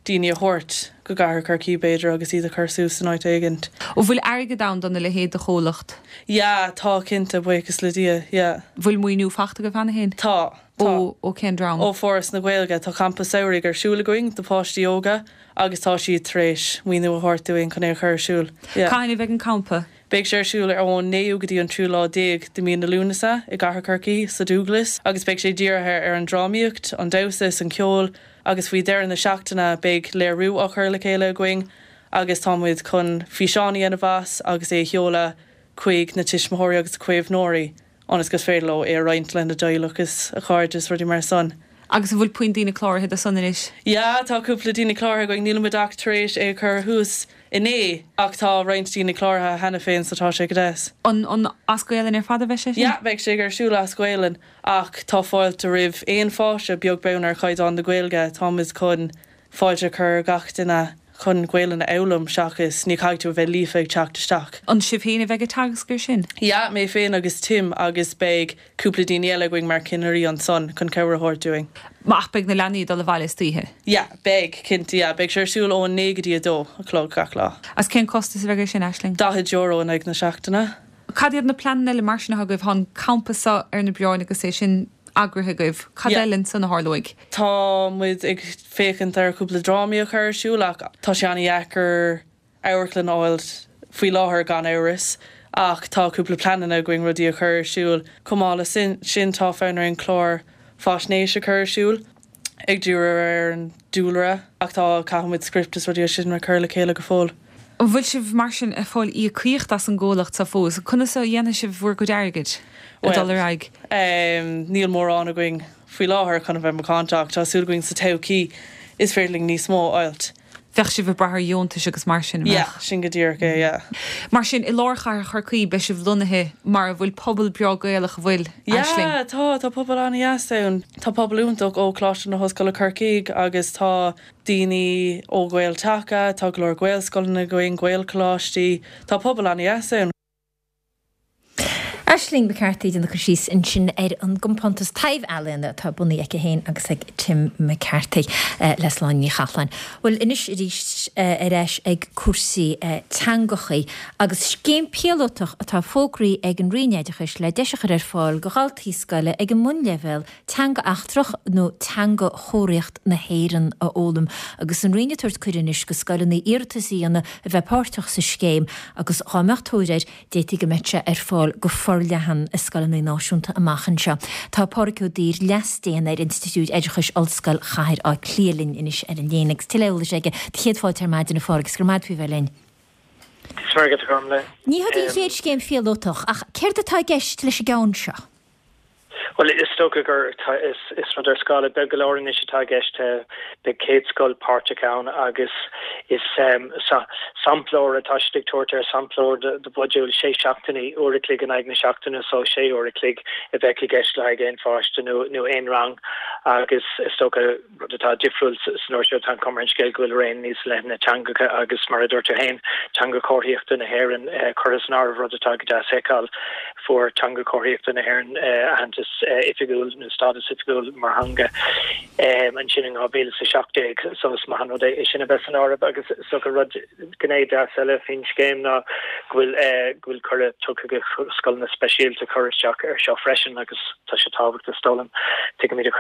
daoine a thabhairt go gCathair Chorcaí, b'fhéidir, agus iad a chur suas in áit éigint. An bhfuil airgead ann dona leithéid de chomhlacht? Yeah, tá, cinnte, buíochas le Dia, yeah. Bhfuil maoiniú fachta agaibh cheana féin? Tá, tá. Ó cén dream? Ó Foras na Gaeilge. Tá campa samhraidh ar siúl againn do pháistí óga agus tá siad tar éis maoiniú a thabhairt dúinn chun é a chur ar siúl. Yeah. Cathain a bheidh an campa? Beidh sé ar siúl ar ón naoú go dtí an tríú lá déag de mí na Lúnasa i gCathair Chorcaí, sa Dúglas, agus beidh sé dírithe ar an drámaíocht, an damhsa is an ceol agus faoi dheireadh na seachtaine beidh léiriú á chur le chéile againn agus tá muid chun físeán a dhéanamh as agus é a sheoladh chuig na tuismitheoirí agus caomhnóirí. ionas gur féidir leo é a roinnt lena dteaghlach is a chairde is rudaí mar san. Agus an bhfuil puinn daoine cláraithe do san anois? Yeah, tá cúpla daoine cláraithe againn, níl muid ach tar éis é a chur thuas inné ach tá roinnt daoine cláraithe cheana féin so tá sé go deas. An an as Gaelainn ar fad a bheidh sé sin? Yeah, beidh sé ar siúl as Gaelainn ach tá fáilte roimh aon pháiste, beag beann ar chaighdeán na Gaeilge, tá muid chun fáilte a chur ar gach duine chun Gaelainn a fhoghlaim seachas ní chaithfidh tú a bheith líofa ag teacht isteach. An sibh féin a bheidh ag teagasc ar sin? Yeah, mé féin agus Tim agus beidh cúpla daoine eile againn mar cinnirí ansan chun cabhair a thabhairt dúinn. Ach beidh na leanaí ag dul abhaile istoíche? Yeah, beidh, cinnte, yeah. Beidh sé ar siúl ón 9 go dtí 2 a chlog gach lá. Agus cén costas a bheidh ar sin, Aisling? €40 in aghaidh na seachtaine. Cad iad na pleananna eile mar sin atá agaibh? Tá an campa seo ar na bioráin agus é sin eagraithe agaibh. Cad eile ansan a tharlóidh? Tá muid ag féachaint ar chúpla drámaí a chur ar siúl ach tá sé an-dheacair amharclann a fháil faoi láthair gan amhras ach tá cúpla pleananna againn rudaí a chur ar siúl. Chomh maith le sin tá fonn orainn clár faisnéise a chur ar siúl ag díriú ar an dúlra ach tá caithfidh muid script is rudaí sin a chur le chéile go fóill. An bhfuil sibh mar sin ag fáil íocaíocht as an gcomhlacht seo fós? Conas a dhéanfaidh sibh bhur gcuid airgid ag dul ar aghaidh? Bhuel, níl mórán againn faoi láthair chun a bheith macánta ach tá súil againn sa todhchaí is féidir linn níos mó a fháilt. Bheadh sibh ag brath ar dheontais agus mar sin, an mbeadh? Yeah, sin go díreach é, yeah. Mar sin, i lár chathair Chorcaí, beidh sibh lonnaithe mar a bhfuil pobal breá Gaelach, an bhfuil, Aisling? Yeah, tá, tá pobal an-dheas ann. Tá pobal iontach ó Choláiste na hOllscoile Corcaigh agus tá daoine ó Ghael-Taca, tá go leor Gaelscoileanna againn, Gaelcholáistí, tá pobal an-dheas ann. Aisling McCarthy ag déanamh cur síos ansin ar an gcompántas taibh-ealaíona atá bunaithe aici féin agus ag Tim McCarthy le Sláine Ní Chathalláin. Bhuel anois arís ar ais ag cúrsaí teangachaí agus scéim píolótach atá fógraithe ag an Roinn Oideachais le deis a chur ar fáil go dhaltaí scoile ag an mbunleibhéal teanga eachtrach nó teanga chomharthaíocht na hÉireann a fhoghlaim agus an Roinn ag tabhairt cuireadh anois go scoileanna iarratas a dhéanamh a bheith páirteach sa scéim agus dhá mbeadh tóir air d'fhéadfaí go mbeadh sé ar fáil go forleathan i scoileanna náisiúnta amach anseo. Tá Pádhraic Ó Duibhir, Leas-Déan ar Institiúid Oideachais Ollscoil Chathair Átha Cliath linn anois ar an líne agus tuilleadh eolais aige. Do chéad fáilte ar maidin a Phádhraic agus go raibh maith agat faoi bheith linn. Is maith agat a Ghormlaith. Ní hé an chéad scéim phíolótach ach céard atá i gceist leis an gceann seo? Bhuel, is dócha gur is rud ar scála beag go leor anois atá i gceist. Beidh 100 scoil páirteach ann agus is samplóir atá siad ag tabhairt air, samplóir de mhodúl sé seachtainí, uair a chloig in aghaidh na seachtaine, so sé uair a chloig a bheadh i gceist le haghaidh aon pháiste nó aon rang agus is dócha Rud atá difriúil san uair seo, tá an chuma ar an scéal go bhfuil raon níos leithne teangacha agus, mar a dúirt tú féin, teanga chomharthaíochta na hÉireann curtha san áireamh, rud atá go deas a fheiceáil. Fuair teanga chomharthaíochta na hÉireann aitheantas oifigiúil nó stádas oifigiúil mar theanga ansin in 2017 so is maith an rud é sin a bheith san áireamh agus is dócha rud, gné deas eile faoin scéim ná go bhfuil go bhfuil cuireadh tugtha do scoileanna speisialta cur isteach air seo freisin agus tá sé tábhachtach is dóigh liom. Tuigimid i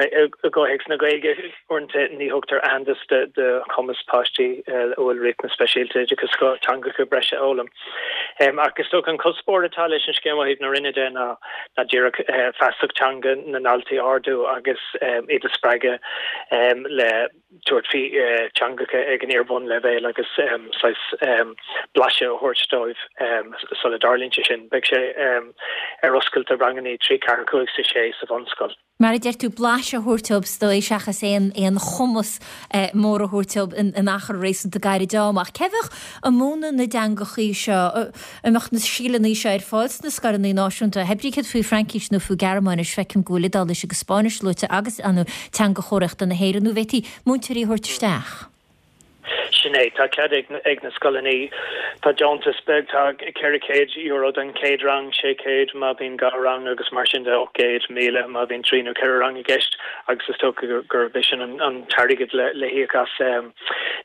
gcomhthéacs na Gaeilge, uaireanta ní thugtar aitheantas do chumas páistí a bhfuil riachtanais speisialta oideachais do teangacha breise a fhoghlaim. Ach is dócha an cuspóir atá leis an scéim ó thaobh na Roinne de ná díreach feasacht teanga na ndaltaí a ardú agus iad a spreagadh le tabhairt faoi teangacha ag an iar-bhunleibhéal agus saghas blaiseadh a thabhairt dóibh sula dtarlaíonn sé sin. Beidh sé ar oscailt do ranganna 3, 4, 5 is 6 sa bhunscoil. Mar a deir tú, blaiseadh a thabhairt dóibh is dóigh seachas aon aon chumas mór a thabhairt dóibh in achar réasúnta gairid ama. Ach cé bheadh ag múineadh na dteangachaí seo? An mbeadh na scileanna seo ar fáil sna scoileanna náisiúnta? Hé brí céard faoi Fraincis nó faoi Gearmáinis, feicim go bhfuil Iodáilis agus Spáinnis luaite agus an teanga chomharthaíochta na hÉireann, nó an bhféadfaí múinteoirí a thabhairt isteach? Sin é, tá cead ag na scoileanna, tá deontas beag, tá €400 don chéad rang, 600 má bhíonn dhá rang agus mar sin de, 800, 1,000 má bhíonn trí nó ceithre rang i gceist agus is dócha gurb é sin an t-airgead le híoc as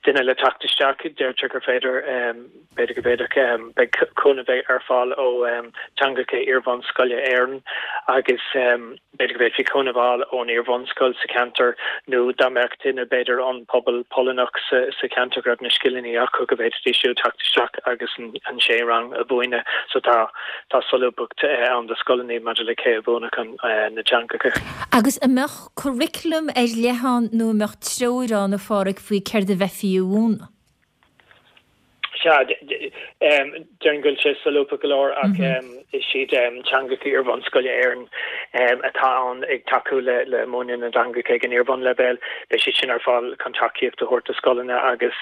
duine le teacht isteach. Deirtear gur féidir. B'fhéidir go bhféadfadh, beidh cúnamh ar fáil ó Teangacha Iar-bhunscoile Éireann agus b'fhéidir go bhféadfaí cúnamh a fháil ón iar-bhunscoil sa cheantar nó dá mbeadh duine b'fhéidir ón bpobal Polannach sa cheantar go raibh na scileanna acu go bhféadfaidís siúd teacht isteach agus an sé rang a mhúineadh. So tá tá solúbthacht ann do scoileanna maidir le cé a mhúinfeadh na teangacha. Agus an mbeadh curriculum ar leith ann nó an mbeadh treoir ann a Phádhraic faoi céard a bheifí a mhúineadh? Sea, déarfainn go bhfuil sé solúbtha go leor ach is iad Teangacha Iar-bhunscoile Éireann atá ann ag tacú le múineadh na dteangacha ag an iar-bhunleibhéal. Beidh siad sin ar fáil chun tacaíocht a thabhairt do scoileanna agus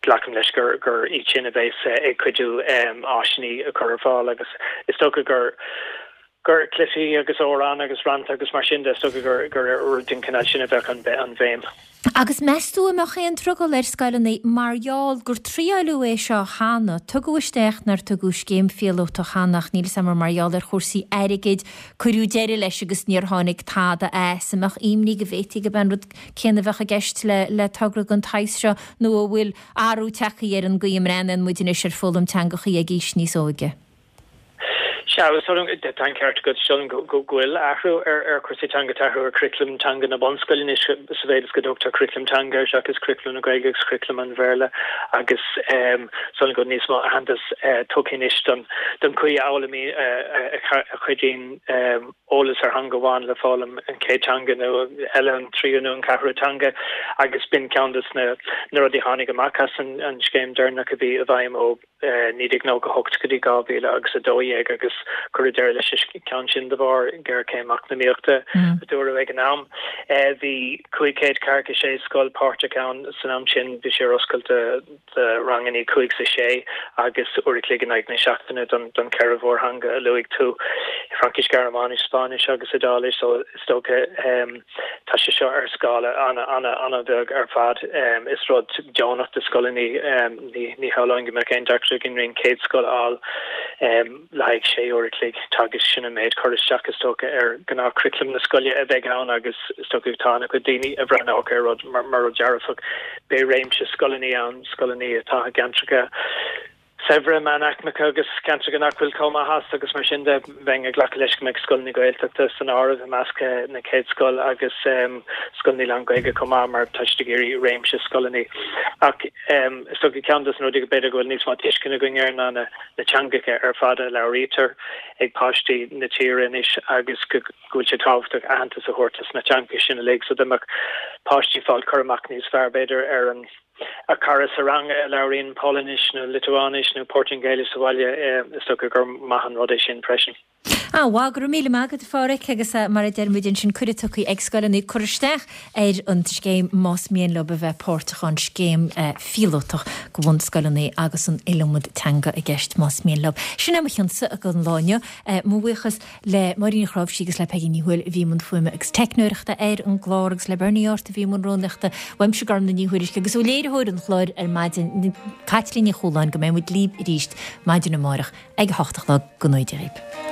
glacaim leis gur iad sin a bheas ag cuidiú áiseanna a chur ar fáil agus is dócha gur gur cluichí agus amhráin agus rannta agus mar sin de, is dócha gur gur ar rud den chineál sin a bheadh an an bhéim. Agus meas tú an mbeadh aon drogall ar scoileanna mar gheall gur triaileadh é seo cheana, tugadh isteach nár tugadh scéim phíolótach cheana ach níl 'fhios a'm ar mar gheall ar chúrsaí airgid cuireadh deireadh leis agus níor tháinig tada as. An mbeadh imní go bhféadfaí gurb é an rud céanna a bheadh i gceist le le togra den tsaghas seo nó an bhfuil athrú tagtha ar an gcaoi a mbreathnaíonn muid anois ar foghlaim teangachaí ag aois níos óige? Sea, is dóigh liom, tá an ceart agat, is dóigh liom go bhfuil athrú ar chúrsaí teanga, tá athrú ar churaclam teanga na bunscoile anois sa mhéid is go dtugtar curaclam teanga air seachas curaclam na Gaeilge agus curaclam an Bhéarla agus is dóigh liom go bhfuil níos mó aitheantas tugtha anois don chaoi a fhoghlaimíonn, a chuidíonn eolas ar theanga amháin le foghlaim an chéad teanga nó eile, an tríú nó an ceathrú teanga agus b'in ceann de na rudaí a tháinig amach as an scéim deireanach a bhí i bhfeidhm ó 1998 go dtí 2000 agus 12 agus cuireadh deireadh leis an ceann sin de bharr géarchéim eacnamaíochta a dúradh ag an am. Bhí 546 scoil páirteach ann san am sin, bhí sé ar oscailt do ranganna 5 is 6 agus uair a chloig in aghaidh na seachtaine don cheithre mhórtheanga a luaigh tú, Fraincis, Gearmáinis, Spáinnis agus Iodáilis so is dócha Tá sé seo ar scála an-an-an-bheag ar fad. Is rud deonach do scoileanna. Ní shamhlóinn go mbeadh aon deacracht againn roinnt 100 scoil a fháil le haghaidh sé uair a chloig teagaisc. Sin an méid cur isteach is dócha ar ghnáthchuraclam na scoile a bheidh ann agus is dócha tá an-chuid daoine a bhreathnódh ar rud mar rud dearfach. Beidh réimse scoileanna ann, scoileanna atá i gceantracha saibhre, meánaicmeacha agus ceantracha nach bhfuil chomh maith as agus mar sin de, bheinn ag glacadh leis go mbeidh scoileanna Gaeltachta san áireamh i measc na 100 scoil agus scoileanna lán-Ghaeilge chomh maith mar tá siad ag iarraidh réimse scoileanna. Ach is dócha ceann de na rudaí go b'fhéidir go bhfuil níos mó tuisceana againn air ná na teangacha ar fad a labhraítear ag páistí na tíre anois agus go bhfuil sé tábhachtach aitheantas a thabhairt dos na teangacha sin uilig so dá mbeadh páistí ag fáil cur amach níos fearr b'fhéidir ar an A cara sa rang a labhraíonn Polainnis nó Liotuáinis nó Portaingéilis sa bhaile, is dócha gur maith an rud é sin freisin. An-mhaith, go raibh míle maith agat a Pháraic agus mar a deir muid ansin cuireadh tugtha ag scoileanna cur isteach ar an scéim más mian leo a bheith páirteach ann, scéim phíolótach do bhunscoileanna agus an iliomad teanga i gceist más mian leo. Sin é mo chionsa don lá inniu. Mo bhuíochas le Máirín Ní Chnáimhsí agus le Peigí Ní Thuathail a bhí i mbun fuaime agus teicneoireachta ar an gclár agus le Bernie Art a bhí i mbun rúnaíochta. Uaimse Gormlaith Ní Thuairisg agus ó léiritheoir an chláir ar maidin, Caitlín Ní Chualáin, go mbeidh muid libh arís maidin amárach ag a hocht a chlog. Go ngnóthaí Dia dhaoibh.